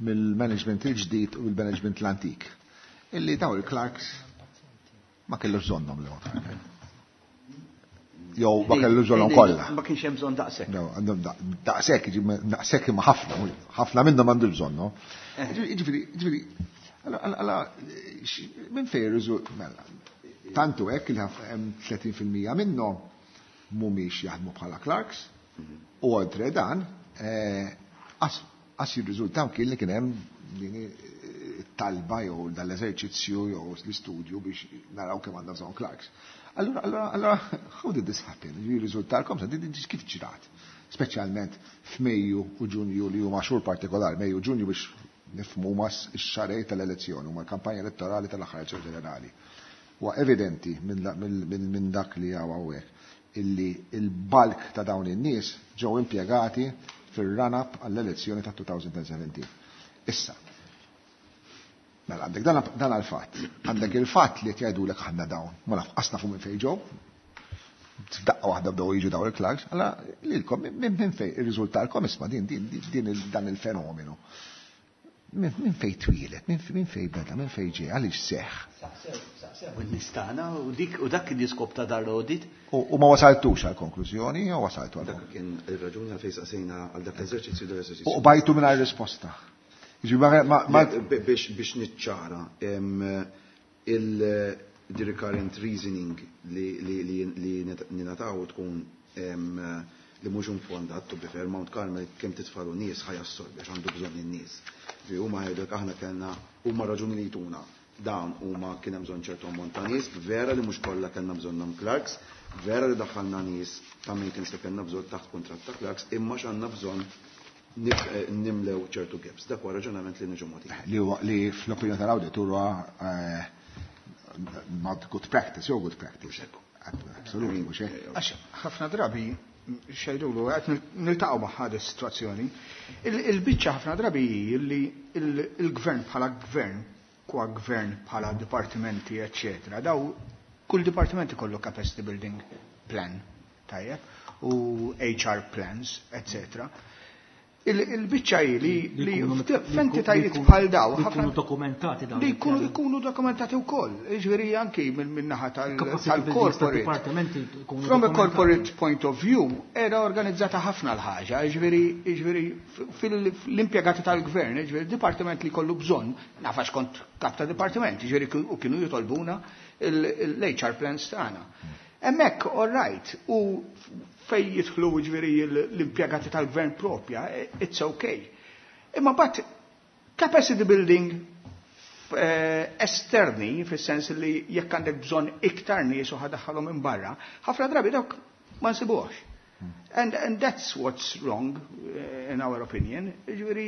mill-management il-ġdid u l-management l-antik. Illi daw il-clerks ma kellux bżonnhom li Mount Carmel. Jew ma kellu bżonnhom kollha. Ma kienx hemm bżonn daqshekk. No, għandhom daqshekk, daqshekk imma ħafna, ħafna minnhom għandu bżonn, no? Ġifieri, ġifieri, alla minn fejn irriżu- mela, tantu hekk li hemm 30% minnhom mhumiex jaħdmu bħala clerks u oltre dan qas jirriżultaw kien li kien hemm din it-talba jew dal-eżerċizzju jew l-istudju biex naraw kemm għandna bżonn clerks. Allura, allura, allura, how did this happen? Jirriżultalkom, sa din kif ġrat? Speċjalment f'Mejju u Ġunju li huma xhur partikolari, Mejju u Ġunju biex nifhmu huma x-xarej tal-elezzjoni, huma l-kampanja elettorali tal-aħħar elezzjoni ġenerali. Huwa evidenti minn dak li hawn hawnhekk illi il-bulk ta' dawn in-nies ġew impjegati fir-run-up għall-elezzjoni ta' 2017. Issa, mela għandek dan għal-fatt. Għandek il-fatt li qed jgħidulek aħna dawn, ma naf qas nafu minn fejn ġew. F'daqqa waħda bdew jiġu dawn il-clerks, alla lilkom minn fejn irriżultalkom isma' din din dan il-fenomenu. Minn fejn twieled, minn fejn beda, minn fejn ġej, għaliex seħħ. Saqsew u nistana u dik u dak kien l-iskop ta' dar l-audit. U ma wasaltux għal konklużjoni jew wasaltu għal Dak kien ir-raġuni għalfejn saqsejna għal dak l-eżerċizzju dak l-eżerċizzju. U bajtu mingħajr risposta. Jiġifieri ma biex niċċara, the recurrent reasoning li ninataw tkun li mhux infondat, to be fair, Mount Carmel kemm titfalu nies ħa jassorbi għax għandu bżonn in-nies. Fi huma jgħidulek aħna kellna, huma raġuni li jtuna. Dawn huma kien hemm bżonn ċertu ammont ta' nies, vera li mhux kollha kellna bżonnhom clerks, vera li daħħalna nies ta' maintenance li kellna bżonn taħt kuntratt ta' clerks, imma x'għandna bżonn nimlew ċertu gaps. Dak huwa raġunament li niġu mogħti. Li huwa li fl-opinjoni tal-awditur huwa not good practice, jew good practice. Absolutely, mhux hekk. Għax ħafna drabi xejdulu, qed niltaqgħu ma' ħad is-sitwazzjoni. Il-biċċa ħafna drabi hi li il-gvern bħala gvern, kwa gvern bħala dipartimenti, eccetera, daw kull dipartiment ikollu capacity building plan, tajjeb, u HR plans, eccetera. Il-biċċa hi li f'entitajiet bħal daw, Li ħafna jkunu dokumentati dawn li jkunu il-pjani. jkunu dokumentati wkoll. Jiġifieri anki minn naħa Capacity buildings tal-corporate. tad-dipartimenti jkunu From a dokumentati. corporate point of view, era organizzata ħafna l-ħaġa, jiġifieri fil-impjegati tal-gvern, jiġifieri dipartiment li kollu bżonn, nafax kont kap ta' dipartiment, jiġifieri u kienu jitolbuna l-HR plans tagħna. Hemmhekk, all right, u fej jidħlu jiġifieri l-impjegati tal-gvern propja, it's okay. Imma but capacity building esterni, fis-sens li jekk għandek bżonn iktar nies u ħa ddaħħalhom minn barra, ħafna drabi dawk ma nsibuhx. And that's what's wrong, in our opinion. Ġifieri,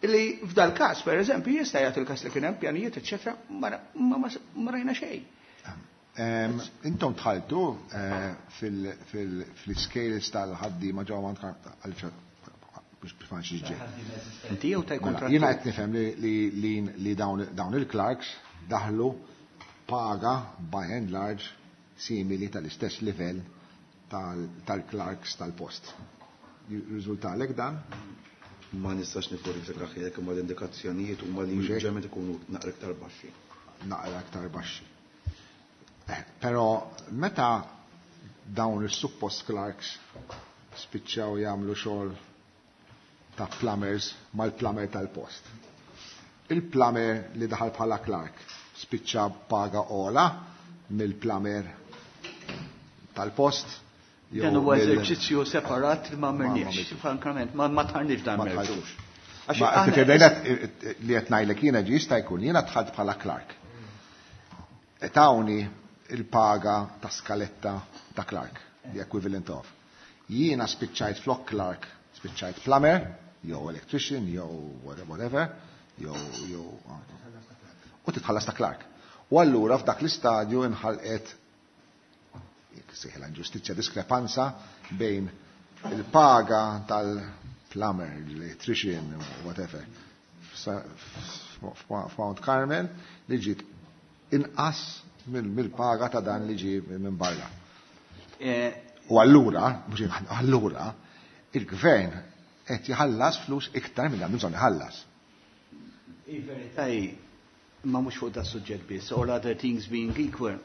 li f'dal każ, per eżempju, jista' jagħti il-każ li kien hemm pjanijiet, eċċetera, ma rajna xejn. Intom dħaltu fil-scales tal-ħaddiema ġewwa biex biex ġej. Inti jew taj Mela, kontrattur? jiena qed nifhem li dawn il-clerks daħlu paga by and large simili tal-istess livell tal-clerks tal-post. Riżultalek dan? Ma nistax nifverifika ħilek, imma l-indikazzjonijiet huma li Mhux hekk? ġemet ikunu naqra iktar baxxi. Naqra iktar baxxi. Però meta dawn is-suppost clerks spiċċaw jagħmlu xogħol ta' plumbers mal-plumber tal-post. Il-plumber li daħal bħala clerk spiċċa paga ola mill-plumber tal-post. jew Dan huwa eżerċizzju separat li ma Ma għamilniex, għamiltux. frankament, ma tħarniex dan Ma mertu. tħalltux. Għax Ma aħna- tifhem li qed ngħidlek jiena ġi jista' jkun jiena dħalt bħala clerk. Tawni il-paga ta' skaletta ta' clerk, the equivalent of. Jiena spiċċajt flok clerk, spiċċajt plumber, jew electrician, jew whatever, jew u titħallas ta' clerk. U allura f'dak l-istadju inħalqet jekk sejħilha inġustizzja, diskrepanza bejn il-paga tal-plumber, l-electrician, whatever, f'Mount Carmel li ġiet inqas mill-paga ta' dan li ġie minn barra. U allura, mhux allura, il-gvern qed jħallas flus iktar minn għandu bżonn iħallas. Il-verità hi, ma mhux fuq da suġġett biss, all other things being equal,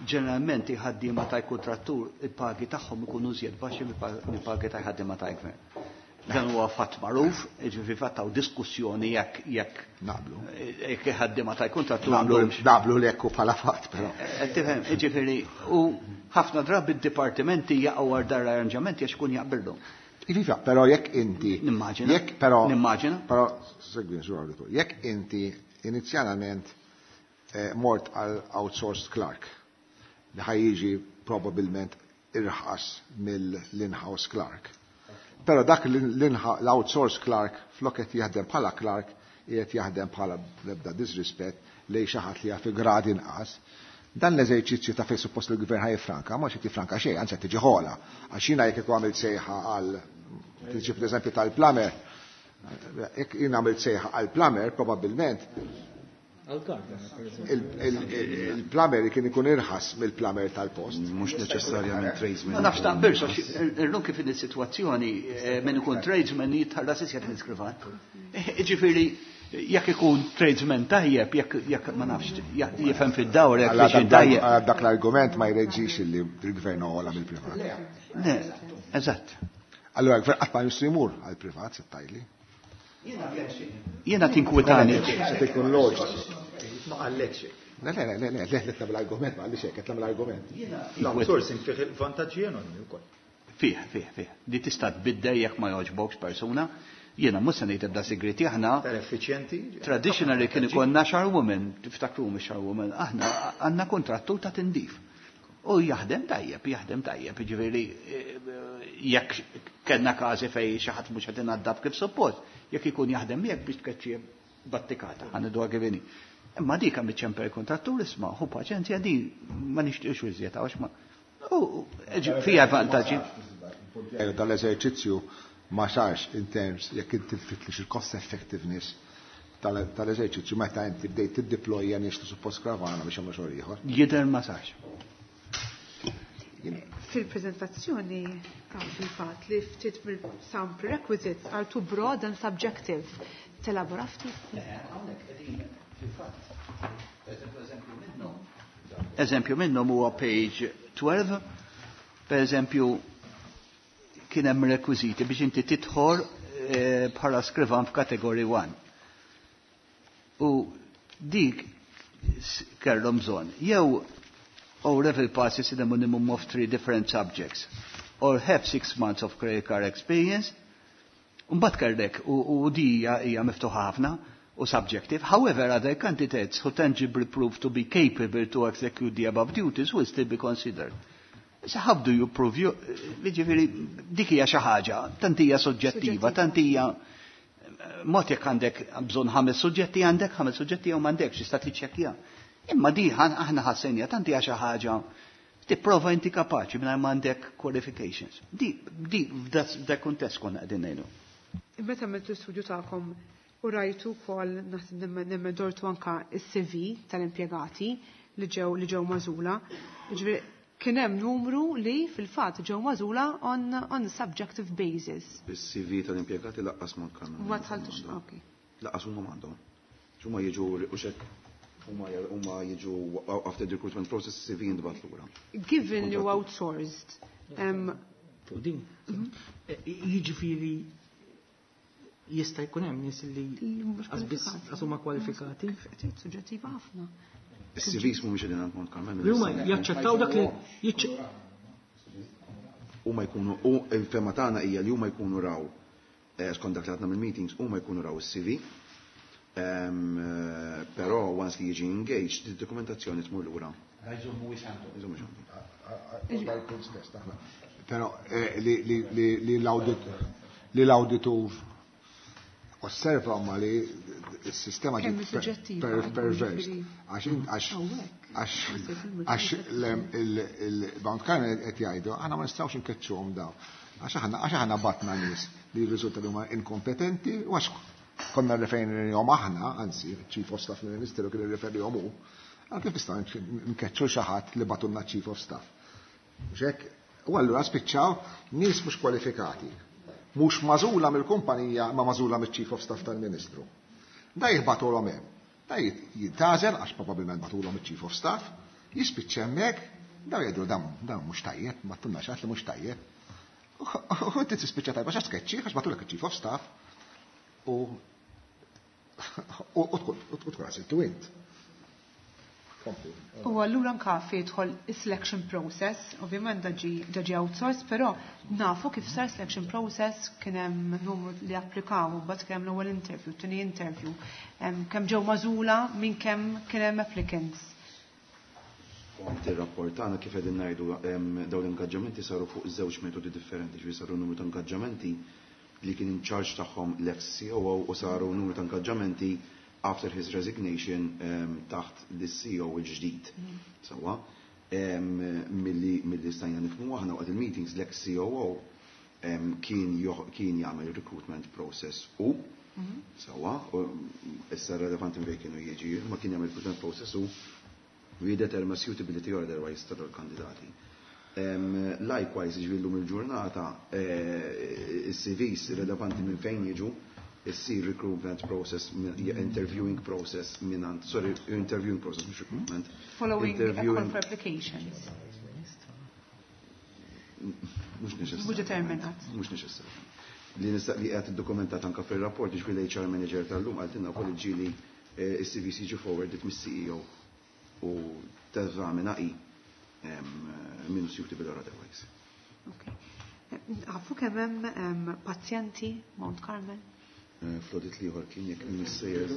ġeneralment il-ħaddiema tal-kuntrattur il-pagi tagħhom ikunu iżjed baxxi mill-pagi tal-ħaddiema tal-gvern. Dan huwa fatt magħruf, jiġifieri fatt hawn diskussjoni jekk Naqblu. jekk il-ħaddiema tal-kuntrattur Naqblu, għandhomx. naqblu li hekk hu bħala fatt, però. Tifhem, jiġifieri, u ħafna drabi d-dipartimenti jaqgħu għal dar arranġamenti għax ikun jaqbilhom. Iva, però jekk inti. Nimmaġina. Jekk, però. Nimmaġina. Però, segwi, sur auditor, jekk inti inizjalment mort għal outsourced clerk li ħa jiġi probabilment irħas mill-in-house clerk. Però dak l-outsourced clerk flok qed jaħdem bħala clerk, qiegħed jaħdem bħala b'ebda disrispett lejn xi ħadd li jaf grad inqas. Dan l-eżerċizzju ta' fejn suppost il-gvern ħa jiffranka, ma xi tifranka xejn, anzi qed tiġi ħola. Għax jiena jekk ikun għamilt sejħa għal tiġi pereżempju tal-plumber, jekk jien għamilt sejħa għal plumber, probabbilment il-plumber kien ikun irħas mill-plumber tal-post. Mhux neċessarjament tradesman. Ma nafx taqbilx, għax illum kif in is-sitwazzjoni min ikun tradesman jitħallas iżjed minn skrivan. Ġifieri, jekk ikun tradesman tajjeb, jekk ma nafx, jifhem fid-dawr, jekk Alla biex tajjeb. dak l-argument ma jreġix li l-gvern ogħla mill-privat. Le, eżatt. Allura l-gvern qatt ma jistgħu jmur għall-privat, se tgħidli. Jiena tinkwitani. Se tkun loġiku. Ma qallekx. Le, le, le, le, le, le, l-argument, ma għalli xek, l-argument. L-outsourcing fih il-vantaġġi enormi wkoll. Fih, fih, fih. Di tista' tbiddel jekk ma jogħġbokx persuna. Jiena mhux se ngħid ebda segreti aħna. Effiċjenti. Traditionally kien ikollna charwoman, tiftakru mhux charwoman, aħna għandna kontrattu ta' tindif. U jaħdem tajjeb, jaħdem tajjeb, jiġifieri jekk kellna każi fejn xi ħadd mhux qed inaddaf kif suppost, jekk ikun jaħdem miegħek biex tkeċċi battikata, ħa ngħiduha kif inhi. Imma dik hemm iċċempel kontrattur isma' hu paċenzja din ma nixtieqx iżjed għax ma. U fija vantaġġi. Tal-eżerċizzju ma sarx in terms jekk inti tfitlix il-cost effectiveness tal-eżerċizzju meta inti bdejt tiddeployja nies li suppost kravana biex jagħmlu xogħol ieħor. Jidher ma sarx. Fil-prezentazzjoni fil-fatt li ftit some prerequisites are too broad and subjective. Telabora ftit? Hawnhekk qegħdin fil-fatt. Eżempju minnhom. Eżempju minnhom huwa page 12. Per eżempju, kien hemm rekwiżiti biex inti tidħol bħala skrivan f'kategorija 1. U dik kellhom bżonn jew O level passes in a minimum of 3 different subjects or have 6 months of credit card experience. Mbagħad kellek u di hija miftuħa ħafna u subjective. However, other candidates who tangibly prove to be capable to execute the above duties will still be considered. So how do you prove you? Jiġifieri dik hija xi ħaġa, tant hija soġġettiva, tant hija mod jekk għandek bżonn 5 suġġetti għandek 5 suġġetti jew m'għandekx tista' tiċċekkja. Imma di aħna ħassenja tant hija xi ħaġa tipprova inti kapaċi mingħajr m'għandek qualifications. Di f'dak kuntest konna qegħdin ngħidu. Meta għamiltu studju tagħkom u rajtu wkoll naħseb nemmen dortu anka is-CV tal-impjegati li ġew magħżula. Jiġifieri kien hemm numru li fil-fatt ġew magħżula on subjective basis. Is-CV tal-impjegati laqqas ma kanu. Ma tħalltux, ok. Laqqas huma m'għandhom. Huma jiġu u xek huma jiġu after the recruitment process CV jintbagħat lura. Given you outsourced. Fuq din. Jiġifieri jista' jkun hemm nies li qas huma kwalifikati. Suġġettiva ħafna. Is-CVs mhumiex qegħdin għand Mount Carmel. Li huma jaċċettaw dak li Huma jkunu u l-fema tagħna hija li huma jkunu raw skont dak li għadna mill-meetings huma jkunu raw is-CV. Però once li jiġi engaged, id-dokumentazzjoni tmur lura. Jżommu mhuwiex għandhom. Jżommu mhuwiex għandhom. Però li l-auditur osserva ma li s-sistema Kemm ġiet suġġettiva, pervers. jiġifieri. Għax il-Mount Carmel qed jgħidu, aħna ma nistgħux nkeċċuhom daw. Għax aħna batna nies li jirriżulta li huma inkompetenti u għax konna referejnihom aħna, anzi, Chief of Staff mill-Ministeru kien irreferihom hu, għal kif nistgħu nkeċċu xi ħadd li batunna Chief of Staff. Mhux hekk? U allura spiċċaw nies mhux kwalifikati, mhux magħżula mill-kumpanija ma magħżula mill-Chief of Staff tal-Ministru. Da jibgħatulhom hemm. Da jintgħażel għax probabbilment bagħtulhom iċ-Chief of Staff, jispiċċa hemmhekk, daw jgħidu dan mhux tajjeb, ma tunna xi ħadd li mhux tajjeb. U inti tispiċċa tajba x'għax tkeċċi għax bagħtulek iċ-Chief of Staff u tkun għażiltu int. Kompli. U allura anka fejn jidħol is-selection process, ovvjament daġi outsourced, però nafu kif sar selection process, kien hemm numru li applikaw, u mbagħad kien hemm l-ewwel interview, tieni interview, kemm ġew magħżula minn kemm kien hemm applicants. Kont ir-rapport tagħna kif qegħdin ngħidu, dawn l-ingaġġamenti saru fuq żewġ metodi differenti, ġifieri saru numru ta' ingaġġamenti li kien in charge tagħhom l-ex COO u saru numru ta' ingaġġamenti after his resignation taħt l-CEO il-ġdid. Sawa, milli stajna nifhmu aħna waqt il-meetings l-ex COO kien jagħmel recruitment process u sawa, u issa relevanti minn fejn kienu jiġi, ma kien jagħmel recruitment process u jiddetermina suitability or otherwise tal-kandidati. Likewise, ġifieri llum il-ġurnata, is-CVs relevanti minn fejn jiġu, issir recruitment process, interviewing process minant, sorry, interviewing process, mhux recruitment. Following a call Interviewing for applications. Mhux neċessarjament. Mhux determinat. Mhux neċessarjament. Li nista' li qed iddokumentat anke fir-rapport, ġifieri l-HR manager tal-lum qaltilna wkoll ġieli is-CVs jiġu forwarded mis-CEO. u teżamina hi min hu suitable or otherwise. Okay. Nafu kemm hemm pazjenti Mount Carmel? Fl-audit l-ieħor kien jekk missejjer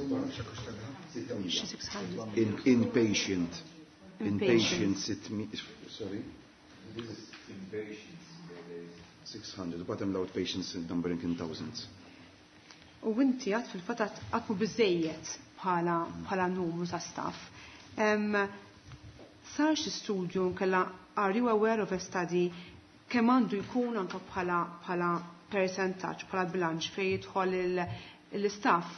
Xi 600. Inpatient. Inpatient 600, sorry. 600, but hemm l-outpatients numbering in thousands. U inti għad fil-fatt għad mhu biżejjed bħala numru ta' staff. Sar xi studju kella, are you aware of a study kemm għandu jkun anke bħala percentaġġ, bħala bilanċ fejn jidħol l-istaff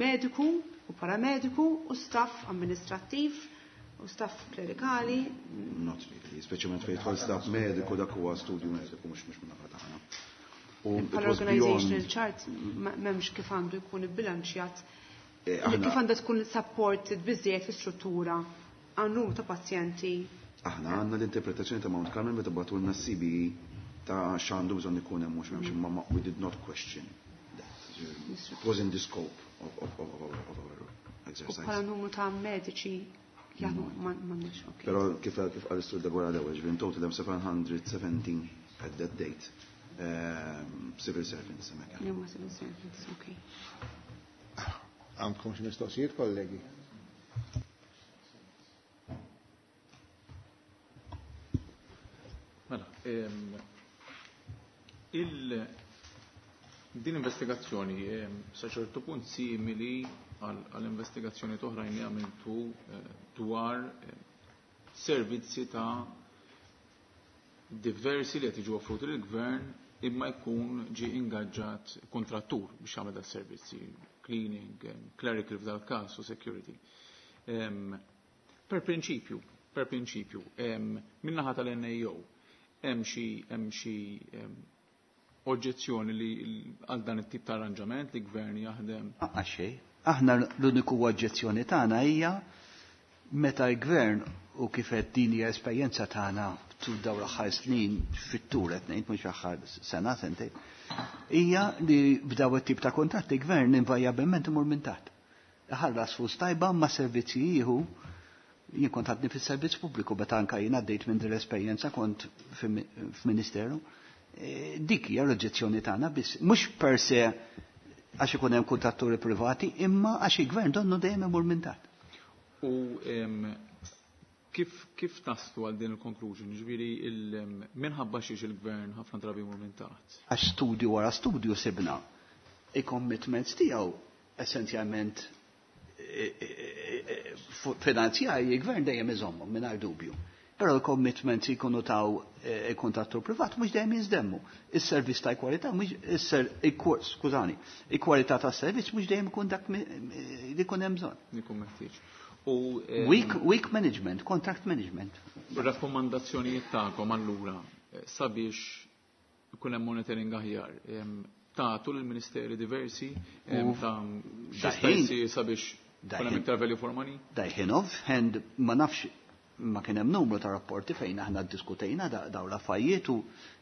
mediku u paramediku u staff amministrattiv u staff klerikali? Not really, speċjalment fejn jidħol staff mediku, dak huwa studju mediku, mhux minn naħa tagħna. U it Bħala was organizational beyond chart m'hemmx kif għandu jkun ibbilanċjat, kif għandha tkun supported biżejjed l-istruttura għan numru ta' pazjenti. Aħna għandna l-interpretazzjoni ta' Mount Carmel meta bagħtulna CBE ta' x'għandu bżonn ikun hemm, mhux m'hemmx, imma we did not question that. It was in the scope of our exercise. U bħala numru ta' mediċi jaħdmu m'għandniex, ok. Però kif qal is-Sur Deguara l-ewwel, ġifieri in total hemm 717 at that date. Civil servants hemmhekk. Li huma civil servants, ok. Għandkom xi mistoqsijiet, kollegi? Mela, din investigazzjoni sa ċertu punt simili għall-investigazzjoni oħrajn li għamiltu dwar servizzi ta' diversi li qed jiġu offruti lill-gvern imma jkun ġi ingaġġat kontrattur biex jagħmel dal servizzi, cleaning, clerical f'dal każ u security. Per prinċipju, min-naħa tal-NAO hemm xi oġġezzjoni li għal dan it-tip ta' arranġament li gvern jaħdem? Għaxej, aħna l-uniku oġġezzjoni tagħna hija meta l-gvern, u kif qed din hija esperjenza tagħna tul dawn l-aħħar snin fit-tul qed ngħid, mhux aħħar sena, sentejn, hija li b'daw it-tip ta' kontratti gvern invariabbilment imur minn taħt. Ħallas flus tajba ma' servizzi jieħu. Jien kont għadni fis-servizz pubbliku meta anka jien għaddejt minn din l-esperjenza, kont f'ministeru. Dik hija l-oġġezzjoni tagħna biss, mhux per se għax ikun hemm kuntratturi privati, imma għax il-gvern donnu dejjem imur minn taħt. U kif taslu għal din il-conclusion? Ġifieri minħabba xiex il-gvern ħafna drabi jmur minn taħt? Għax studju wara studju sibna il-commitments tiegħu essenzjalment finanzjarji il-gvern dejjem iżommhom mingħajr dubju. Però l-commitments jkunu taw il-kontrattur privat mhux dejjem jiżdemmu. Is-servizz ta' kwalità mhux isser, skużani, il-kwalità tas-servizz mhux dejjem ikun dak li jkun hemm bżonn. Ikun meħtieġ. U Weak management, contract management. Rakkomandazzjonijiet tagħkom allura sabiex ikun hemm monitoring aħjar, tagħtu lill-ministeri diversi ta' x'jista' jsir sabiex ikun hemm iktar value for money? Dajħin off hand ma nafx, ma kien hemm numru ta' rapporti fejn aħna ddiskutejna dawn l-affarijiet u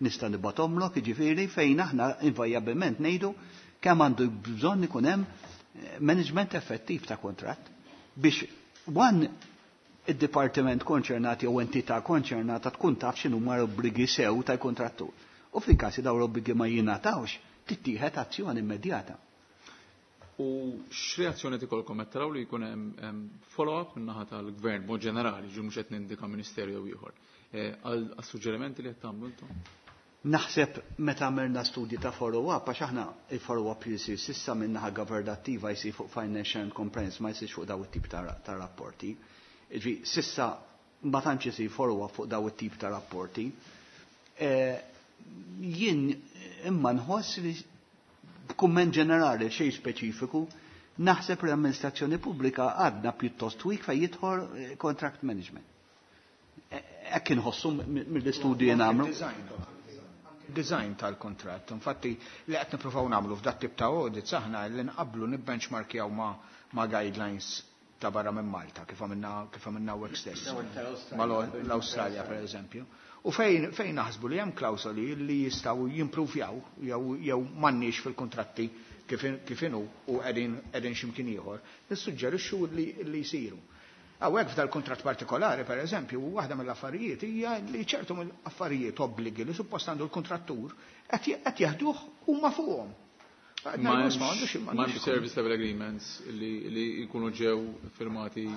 nista' nibgħathomlok, jiġifieri fejn aħna invariabbilment ngħidu kemm għandu bżonn ikun hemm management effettiv ta' kontratt biex one id-dipartiment konċernat jew entità konċernata tkun taf x'inhu l-obbligi sew tal-kontrattur. U fil-każ dawn l-obbligi ma jingħatawx, tittieħed azzjoni immedjata. U x'reazzjoni tikolkom qed taraw li jkun hemm follow-up min-naħa tal-gvern mod ġenerali, ġi mhux qed nindika ministerju jew ieħor, għal suġġerimenti li qed tagħmlu intom? Naħseb meta għamilna studji ta' follow-up, għax aħna il-follow-up jisir sissa min-naħa governattiva jsir fuq financial and compliance, ma jsirx fuq daw it-tip ta' rapporti. Ġi, sissa ma tantx isir follow-up fuq daw it-tip ta' rapporti. Jien imma nħoss li b'kumment ġenerali, xejn speċifiku, naħseb l-amministrazzjoni pubblika għadna pjuttost weak fejn jidħol contract management. Hekk inħossu mill-istudji nagħmlu. Design tal-kontrat. Infatti, li qed nippruvaw nagħmlu f'dat tip ta' audits aħna li nqablu nibbenchmarkjaw ma' guidelines ta' barra minn Malta, kif għamilna hawnhekk stess. Ma' l-Awstralja, per eżempju. U fejn naħsbu li hemm klawsoli li jistgħu jimpruvjaw jew m'għandniex fil-kontratti kif inhu u qegħdin x'imkien ieħor, nissuġġerixxu li jsiru. Hawnhekk f'dal-kuntratt partikolari, per eżempju, waħda mill-affarijiet hija li ċertu mill-affarijiet obbligi li suppost għandu l-kontrattur qed jaħduh huma fuqhom. M'hemmx service level agreements li jkunu ġew firmati.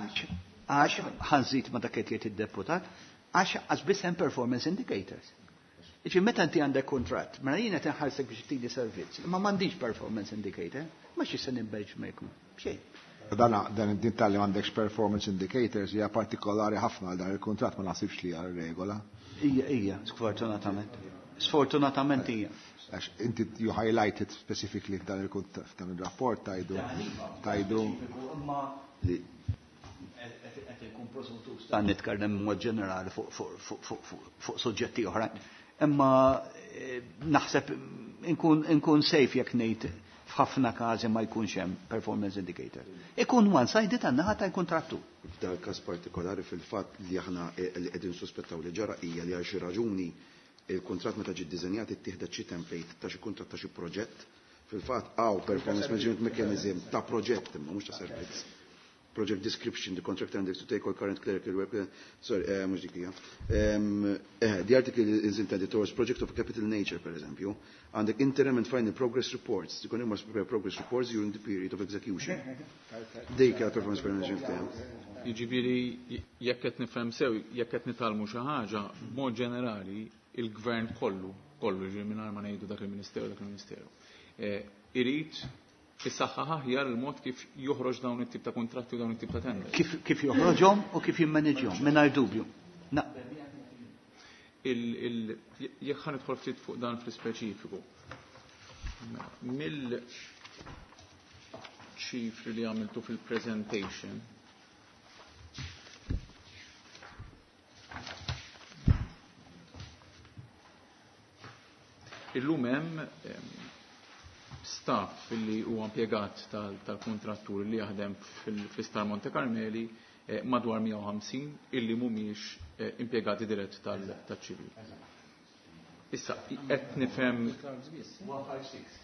Għax ħa nżid ma' dak qed jgħid id-deputat, għax biss hemm performance indicators. Iġi meta inti għandek kuntratt, mela jiena tinħarsek biex tini servizz, imma m'għandix performance indicator, ma xi se nibbenchmark xejn. Dan din tal-li m'għandekx performance indicators hija partikolari ħafna għal dan il-kuntratt, ma naħsibx li hija regola. Ija, ija, sfortunatament. Sfortunatament hija. Għax inti you highlighted specifically f'dan il-f'dan il-rapport tajdu. Li qed inkun presuntus ta' nitkellem mod ġenerali fuq suġġetti oħrajn. Imma naħseb inkun safe jekk ngħid f'ħafna każi ma jkunx hemm performance indicator. Ikun one sided għan-naħa tal-kontrattur. F'dal każ partikolari fil-fatt li aħna li qegħdin suspettaw li ġara hija li għal xi raġuni il-kuntratt meta ġie ddiżenjat ittieħdet xi template ta' xi kuntratt ta' xi proġett. Fil-fatt hawn performance management mechanism ta' proġett imma mhux ta' servizz. Project description, the contractor undertakes to take all current clerical work. Sorry, mhux dik hija. The article is intended towards project of capital nature, per eżempju. Għandek interim and final progress reports. The contractor must prepare progress reports during the period of execution. Dik hija performance management plan. Jiġifieri jekk qed nifhem sew, jekk qed nitgħallmu xi ħaġa, b'mod ġenerali il-gvern kollu, kollu ġifieri mingħajr ma ngħidu dak il-ministeru, dak il-ministeru. Irid issaħħaħ aħjar il-mod kif joħroġ dawn it-tip ta' kontratti u dawn it-tip ta' tenders. Kif joħroġhom u kif jimmaneġjhom, mingħajr dubju. Jekk ħa nidħol ftit fuq dan fl-ispeċifiku. Mill-ċifri li għamiltu fil-presentation, illum hemm staff li huwa impjegat tal-kontrattur li jaħdem fl-Isptar Monte Carmeli madwar 150 illi mhumiex impjegati dirett tal-ċivil. Issa, qed nifhem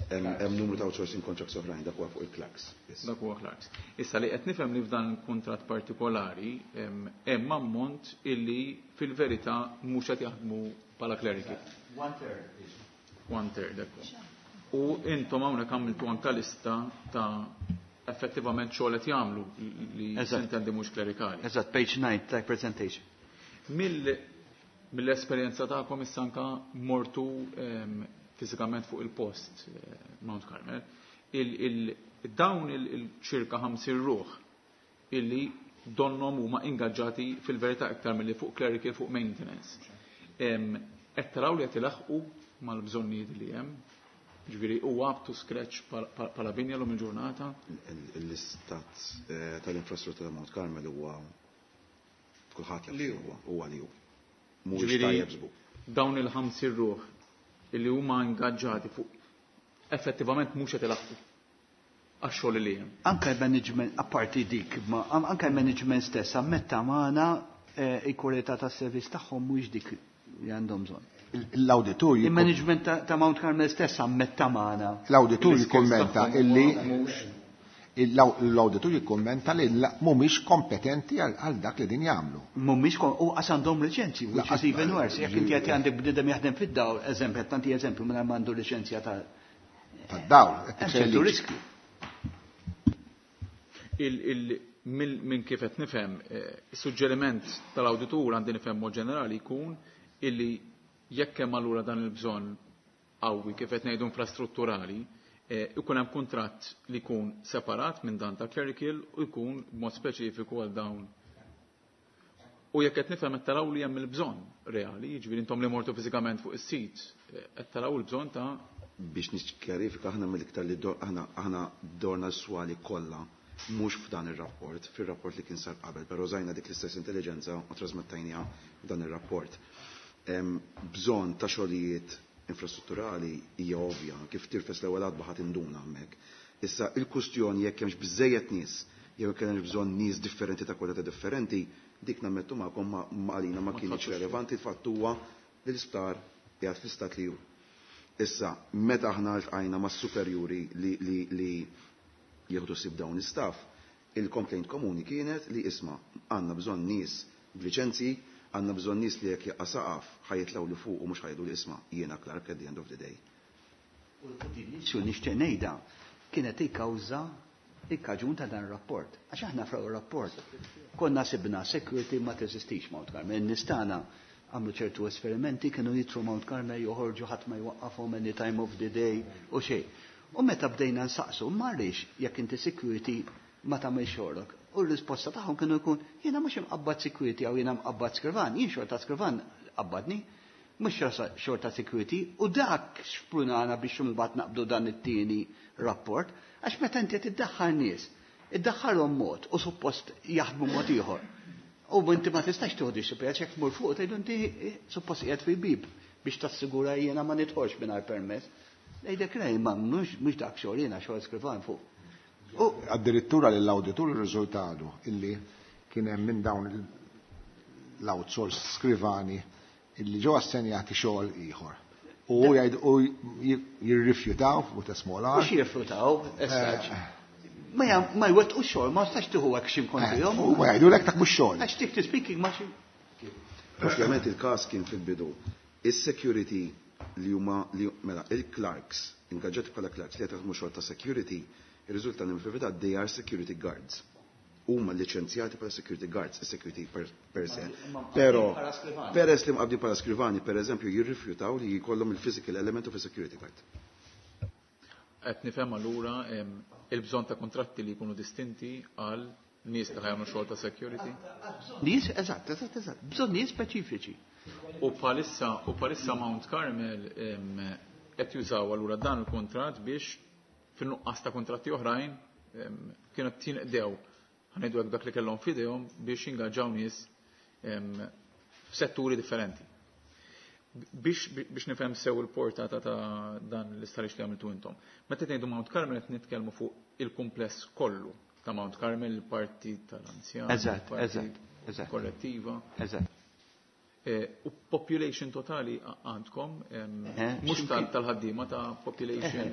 Hemm numru ta' outsourcing contracts oħrajn, dak huwa fuq il-clerks. Dak huwa clerks. Issa li qed nifhem li f'dan il-kuntratt partikolari hemm ammont illi fil-verità mhux qed jaħdmu bħala clerical. One third. One third, ekku. U intom hawnhekk għamiltu anke lista ta' effettivament xogħol qed jagħmlu li intendi mhux klerikali. Eżatt, page 9 ta' presentation. Mill-esperjenza tagħkom issa anke mortu fiżikament fuq il-post Mount Carmel, dawn il-ċirka 50 ruħ illi donnom huma ingaġġati fil-verità iktar milli fuq clerical fuq maintenance. Qed taraw li qed ilaħqu mal-bżonnijiet li hemm, ġifieri huwa up to scratch bħala binja l-lum il-ġurnata? L-istat tal-infrastruttura ta' Mount Carmel huwa kulħadd jaf Li huwa, huwa li hu. Mhuwiex Ġifieri tajjeb żgur. Dawn il-50 ruħ illi huma ingaġġati fuq effettivament mhux qed ilaħqu għax-xogħol li hemm. Anke l-management, apparti dik, ma anke l-management stess ammetta magħna il-kwalità tas-servizz tagħhom mhuwiex dik li għandhom bżonn. L-awditur Il-management ta' Mount Carmel stess ammetta magħna. L-awditur Il-skills jikkummenta tagħhom illi mhux l-awditur jikkummenta li mhumiex kompetenti għal dak li din jagħmlu. Mhumiex u qas għandhom liċenzji, which is Laqas even worse. Jekk inti qed għandek bniedem jaħdem fid-dawl, eżempju, qed tagħti eżempju mingħajr m'għandu liċenzja ta' Tad-dawl, qed Hemm tikser ċertu liġi. riskju. Minn kif qed nifhem, is-suġġeriment tal-awditur għandi nifhem mod ġenerali jkun illi jekk hemm allura dan il-bżonn qawwi kif qed ngħidu infrastrutturali, ikun hemm kuntratt li jkun separat minn dan ta' clerical u jkun b'mod speċifiku għal dawn. U jekk qed nifhem qed taraw li hemm il-bżonn reali, jiġifieri intom li mortu fiżikament fuq is-sit, qed taraw il-bżonn ta' Biex niċċjarifika aħna mill-iktar li aħna dorna s-swali kollha mhux f'dan ir-rapport, fir-rapport li kien sar qabel, però żajna dik l-istess intelligenza u trasmettajniha f'dan ir-rapport. Bżonn ta' xogħlijiet infrastrutturali hija ovvja, kif tirfes l-ewwel għadba ħadd induna hemmhekk. Issa il-kustjoni jekk hemmx biżejjed nies, jew jekk hemmx bżonn nies differenti ta' kwalità differenti, dik nammettu magħkom ma għalina ma Ma kienx tħassux. relevanti, il-fatt huwa li l-isptar qiegħed fl-istat li hu. Issa, meta aħna ltqajna mas-superjuri li jieħdu sib dawn l-istaff, Il-complaint komuni kienet li isma' għandna bżonn nies b'liċenzji, għandna bżonn nies li jekk jaqa' saqaf ħa jitilgħu 'l fuq u mhux ħa jgħidu li isma' jiena clerk at the end of the day. U din l-issue nixtieq ngħidha kienet il-kawża, il-kaġun ta' dan ir-rapport. Għax aħna fl-ewwel rapport konna sibna security ma teżistix Mount Carmel. In-nies tagħna għamlu ċertu esperimenti, kienu jidħlu Mount Carmel joħorġu ħadd ma jwaqqafhom any time of the day u xejn. U meta bdejna nsaqsu, ma għaliex jekk inti security ma tagħmilx xogħlok? U r-risposta tagħhom kienu jkun jiena mhux imqabbad security jew jiena mqabbad skrivan, jien xorta skrivan qabbadni, mhux xorta security, u dak xprunana biex imbagħad naqbdu dan it-tieni rapport, għax meta inti qed iddaħħal nies, iddaħħalhom mod u suppost jaħdmu mod ieħor. U inti ma tistax tieħu disciplina għax jekk tmur fuq tgħidu inti suppost qiegħed fil-bib biex tassigura jiena ma nidħolx mingħajr permess. Ngħidlek le, ma mhux dak xogħol jiena xogħol skrivan fuq. U addirittura lill-awditur irriżultalu illi kien hemm minn dawn l-outsourced skrivani illi ġew assenjati xogħol ieħor. U jgħid u jirrifjutaw with a small r. Mhux jirrifjutaw, as such. Ma ma jwettqu xogħol, ma tistax tieħu action kontrihom. U ma jgħidulek dak mhux xogħol. Għax strictly speaking ma xi. Ovvjament il-każ kien fil-bidu. Is-security li huma li mela il-clerks, ingaġġati bħala clerks li qed jaħdmu xogħol ta' security, irriżulta li fil-verità they are security guards. Huma liċenzjati bħala security guards, is-security per, per se. Però peress li mqabbdin bħala skrivani, per eżempju, jirrifjutaw li jkollhom il-physical element of a security guard. Qed nifhem allura il-bżonn ta' kontratti li jkunu distinti għal nies li ħa jagħmlu xogħol ta' security. Nies, eżatt, eżatt, eżatt, bżonn nies speċifiċi. U bħalissa Mount Carmel qed jużaw allura dan il-kontratt biex fin-nuqqas ta' kontratti oħrajn kienu tinqdew ħa ngħidu hekk dak li kellhom f'idejhom biex jingaġġaw nies f'setturi differenti. Biex nifhem sew il-portata ta' dan l-istħarriġ li għamiltu intom. Meta tgħidu Mount Carmel qed nitkellmu fuq il-kumpless kollu ta' Mount Carmel, il-parti tal-anzjan, Eżatt, il-parti eżatt, eżatt. korrettiva. Eżatt. U population totali għandkom, mhux tal-ħaddiema ta' population.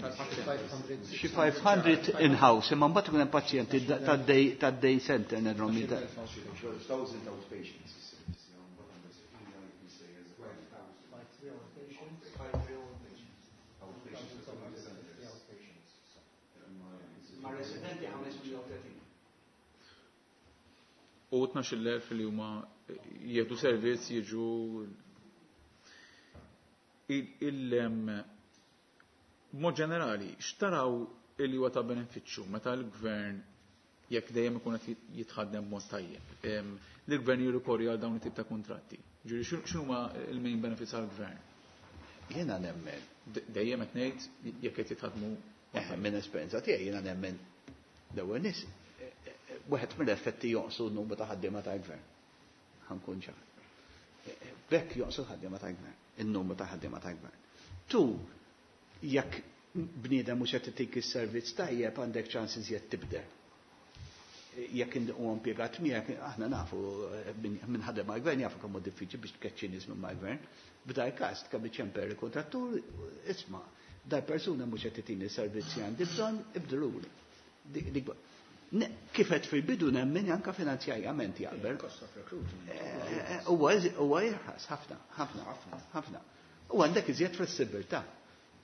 Xi 500 in-house, imma mbagħad ikun hemm pazjenti tad-day center nerhom jida. 12,000 outpatients. Ma' residenti 530. U 12,000 li huma jieħdu servizz jiġu mod ġenerali, x'taraw li huwa ta' benefiċċju meta l-gvern jekk dejjem ikun qed jitħaddem b'mod tajjeb, li l-gvern jirrikorri għal dawn it-tip ta' kontratti. Ġifieri x'inhuma l-main benefits għall-gvern? Jiena nemmen. Dejjem qed ngħid jekk qed jitħadmu Minn esperjenza tiegħi jiena nemmen l-ewwel nies wieħed mill-effetti jonqsu n-numru ta' ħaddiema tal-gvern. Ħa nkun ċar. B'hekk jonqsu l-ħaddiema tal-gvern, in-numru ta' ħaddiema tal-gvern. Tu, jekk bniedem mhux qed itik is-servizz tajjeb għandek ċans iżjed tibdel. Jekk huwa impjegat miegħek, aħna nafu minn ħadem mal-gvern jafu kemm hu diffiċli biex tkeċċi nies minn mal-gvern. B'dal każ kemm iċemper il-kontrattur, isma' dal persuna mhux qed titini servizzi għandi bżonn, ibdiluli. Kif qed fil-bidu nemmen anke finanzjarjament jaqbel. Cost of recruitment. Huwa jirħas ħafna, ħafna, ħafna. U għandek iżjed flessibilità.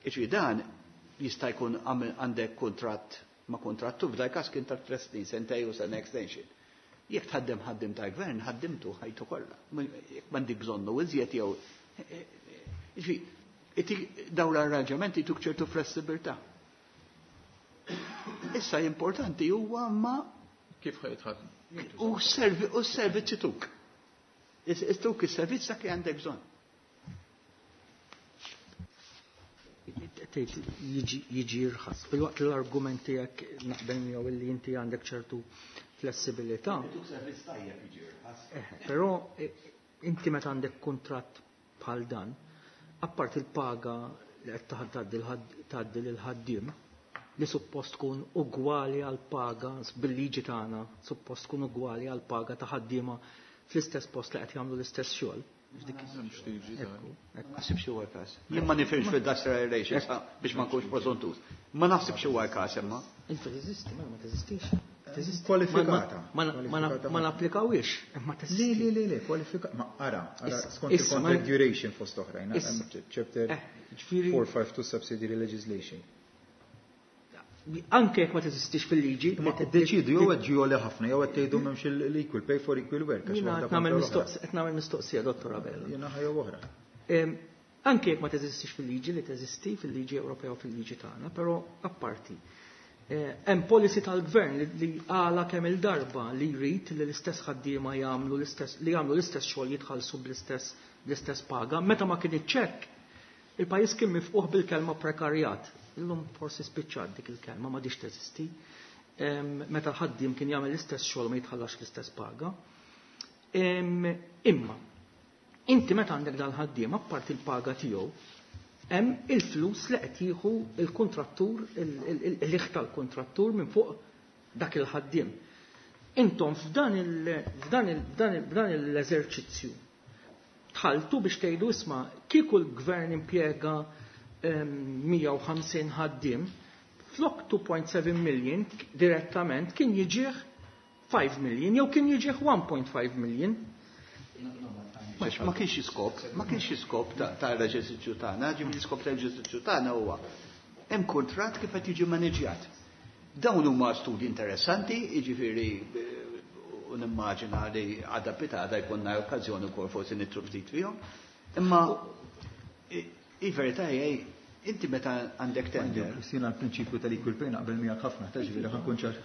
Iġri dan jista' jkun għandek kontratt ma' kontrattu f'dal każ kien ta' 3 snin, sentej u sena extension. Jekk tħaddem ħaddim ta' gvern, ħaddimtu ħajtu kollha. Jekk m'għandek bżonnu iżjed jew Iġri, dawn l-arranġamenti tuk ċertu flessibilità. Issa importanti huwa ma kif ħa jitħaddmu. U s-servizzi tuk. Tuk is-servizz dak li għandek bżonn. Tgħid jiġi jirħas. Filwaqt li l-argument tiegħek naqbel miegħu li inti għandek ċertu flessibilità. Tuk servizz tajjeb jiġi jirħas. Però inti meta għandek kuntratt bħal dan, apart il-paga li qed tgħaddi lil ħaddiem li suppost tkun ugwali għal paga bil-liġi tagħna, suppost tkun ugwali għal paga ta' ħaddiema fl-istess post li qed jagħmlu l-istess xogħol. Ma naħsibx huwa każ. Jien ma nifhimx fil-industrial relations biex ma nkunx preżuntuż. Ma naħsibx huwa każ imma. Inti teżisti, ma teżistix. Kwalifikata. Ma napplikawhiex, imma teżisti. Le, le, le, le, kwalifikata. Ma ara, ara, skont il-contract duration fost oħrajn, chapter 452 subsidiary legislation. Anke jekk ma teżistix fil-liġi. Ma tiddeċidu jew qed ġioli ħafna jew qed tgħidu m'hemmx l-equal pay for equal work. Qed nagħmel mistoqsija, Dottor Abela. Jiena ħajja oħra. Anke jekk ma teżistix fil-liġi li teżisti fil-liġi Ewropea u fil-liġi tagħna, però apparti. Hemm policy tal-gvern li għala kemm il-darba li jrid li l-istess ħaddiema jagħmlu l-istess li jagħmlu l-istess xogħol jitħallsu bl-istess paga. Meta ma kinitx hekk, il-pajjiż kien mifquh bil-kelma prekarjat. Illum forsi spiċċat dik il-kelma, m'għadhiex teżisti. Meta l-ħaddiem kien jagħmel l-istess xogħol ma jitħallax l-istess paga. Imma inti meta għandek dal-ħaddiem, apparti il-paga tiegħu, hemm il-flus li qed jieħu il-kuntrattur, il-liħ tal-kuntrattur minn fuq dak il-ħaddiem. Intom f'dan l-eżerċizzju tħaltu biex tgħidu isma' kieku l-gvern impjega 150 ħaddiem, flok 2.7 million direttament kien jiġih 5 million jew kien jiġih 1.5 million. Ma kienx iskop, ma kienx iskop ta' l-eżerċizzju tagħna, ġifieri l-iskop tal-eżerċizzju tagħna huwa hemm kuntratt kif qed jiġi maneġjat. Dawn huma studi interessanti, jiġifieri u nimmaġina li għada pitada jkollna okkażjoni wkoll forsi nitru ftit fihom. Imma il-verità hija inti meta għandek tender. Kristina, l-prinċipju tal-equal pay naqbel miegħek ħafna, ta' ġifieri ħa nkun ċar.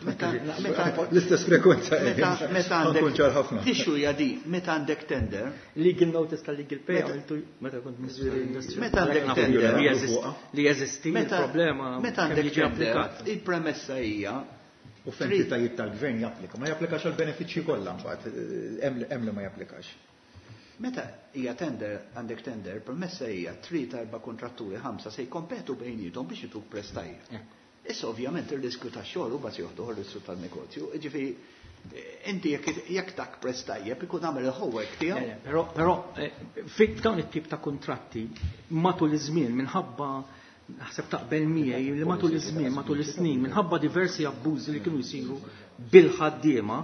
L-istess frekwenza Meta ħa nkun ċar ħafna. L-issue hija di, meta għandek tender. Legal notice tal-legal pay għamiltu meta kont Ministru tal-Industrija. Meta għandek tender. Li jeżisti il-problema Meta kemm għandek jiġi tender, applikat. il-premessa hija U f'entitajiet tal-gvern japplika, ma japplikax għal benefiċċji kollha mbagħad, hemm li ma japplikax. Meta hija tender, għandek tender, premessa hija 3 4 kontratturi 5 se jkompetu bejniethom biex jituk prezz tajjeb. Issa ovvjament ir-riskju tax-xogħol u bas joħdu r-riskju tan-negozju, jiġifieri inti jekk dak prezz tajjeb ikun għamel il-homework tiegħu. Le, le, però f'dawn it-tip ta' kuntratti matul iż-żmien minħabba naħseb taqbel miegħi li matul iż-żmien, matul is-snin, minħabba diversi abbużi li kienu jsiru bil-ħaddiema,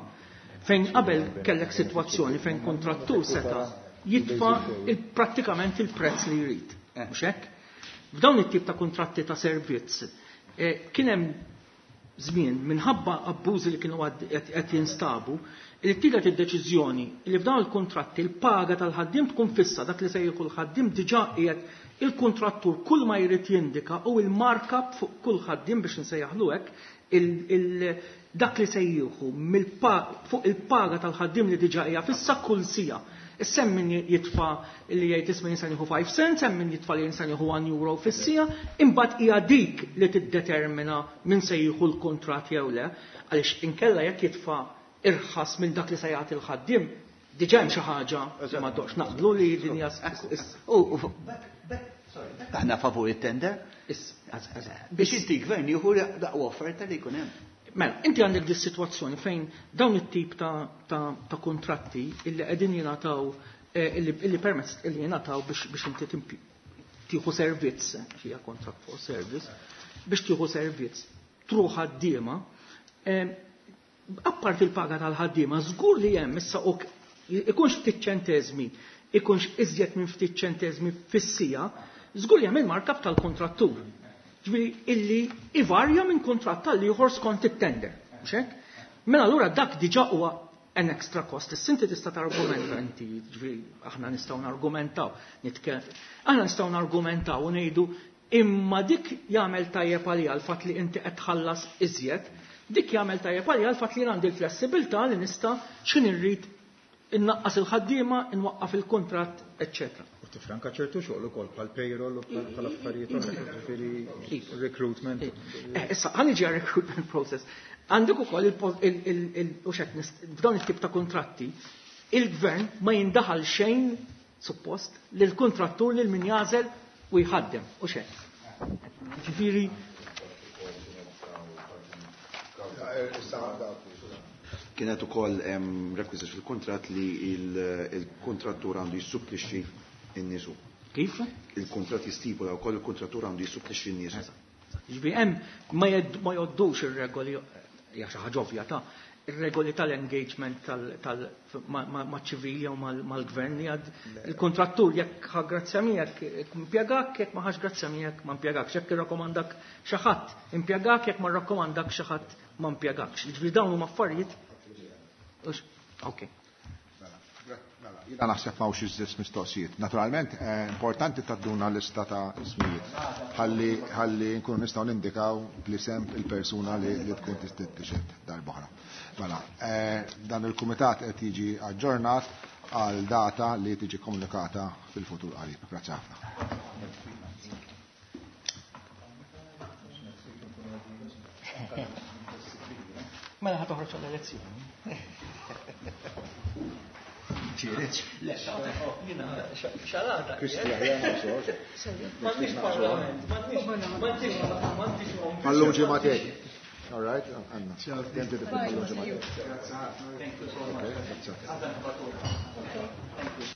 fejn qabel kellek sitwazzjoni fejn kontrattur seta' jitfa' prattikament il-prezz li jrid. Mhux hekk? F'dawn it-tip ta' kuntratti ta' servizz kien hemm żmien minħabba abbużi li kienu qed jinstabu li tielet id-deċiżjoni li f'dawn il-kuntratti l-paga tal-ħaddiem tkun fissa, dak li se jieħu l-ħaddiem diġà qiegħed il-kuntrattur kull ma jrid jindika u il-markup fuq kull ħaddiem biex nsejjaħlu hekk, dak li se jieħu fuq il-paga tal-ħaddiem li diġà hija fissa kull sija. Issa hemm min jitfa' li jgħid isma' jinsan jieħu 5 cents, hemm min jitfa' li jinsan jieħu 1 euro fis-sija, imbagħad hija dik li tiddetermina min se jieħu l-kuntratt jew le, għaliex inkella jekk jitfa' irħas minn dak li se jagħti l-ħaddiem, diġà hemm xi ħaġa li ma toqgħodx naqblu li din hija Aħna favur it-tender. Biex inti gvern jieħu l-aqwa offerta li jkun hemm. Mela, inti għandek dis sitwazzjoni fejn dawn it-tip ta' kontratti illi qegħdin jingħataw illi permezz illi jingħataw biex inti tieħu servizz, hija contract for service, biex tieħu servizz truħ ħaddiema, apparti il-paga tal-ħaddiema, żgur li hemm issa ikunx ftit ċenteżmi, ikunx iżjed minn ftit ċenteżmi fis-sija, żgur li hemm il-markup tal-kontrattur. Ġifieri illi ivarja minn kontratt tal ieħor skont it-tender, mhux hekk? Mela allura dak diġà huwa an extra cost. Issa inti tista' targumenta inti, ġifieri aħna nistgħu nargumentaw, aħna nistgħu nargumentaw u ngħidu imma dik jagħmel tajjeb għalija l-fatt li inti qed tħallas iżjed, dik jagħmel tajjeb għalija l-fatt li għandi l-flessibilità li nista' x'in irrid innaqqas il-ħaddiema, inwaqqaf il-kuntratt, eċċetera. U tifranka ċertu xogħol ukoll bħal payroll u bħal affarijiet oħra, ġifieri recruitment. Issa, ħa niġi għal recruitment process. Għandek ukoll u x'hekk f'dawn it-tip ta' kuntratti, il-gvern ma jindaħal xejn suppost lil kuntrattur lil min jażel u jħaddem, u x'hekk. Ġifieri Kienet ukoll hemm rekwiżit fil-kuntratt li il-kuntrattur għandu jissupplixxi n-niesu. Kif? Il-kuntratt jistipula wkoll il-kuntrattur għandu jissupplixxi n-niesu. Ġifieri hemm ma jgħoddux ir-regoli Hija xi ħaġa ovvja ta' ir-regoli tal-engagement maċ-ċivili jew mal-gvern li għad il-kontrattur jekk ħa grazzja miegħek impjegak, jekk ma ħax grazzja miegħek ma impjegakx, jekk irrakkomandak xi ħadd impjegak, jekk ma rrakkomandak xi ħadd ma impjegakx. Jiġifieri dawn huma affarijiet. Ok. Jiena naħseb m'hawnx iżjed mistoqsijiet. Naturalment, eh, importanti tadduna lista ta' ismijiet. Ħalli ħalli nkunu nistgħu nindikaw bl-isem il-persuna li, li tkun tixed darb'oħra. Mela, eh, dan il-kumitat qed jiġi aġġornat għal data li tiġi komunikata fil-futur qarib. Grazzi ħafna. Mela ħa toħroġ għall-elezzjoni. Ċireċ. Le, jina, xalata. M'għandix parlament, m'għandix, m'għandix, m'għandix. Mallum ġimgħatej. All right, Anna. Thank you so much. Okay, that's it. Thank you.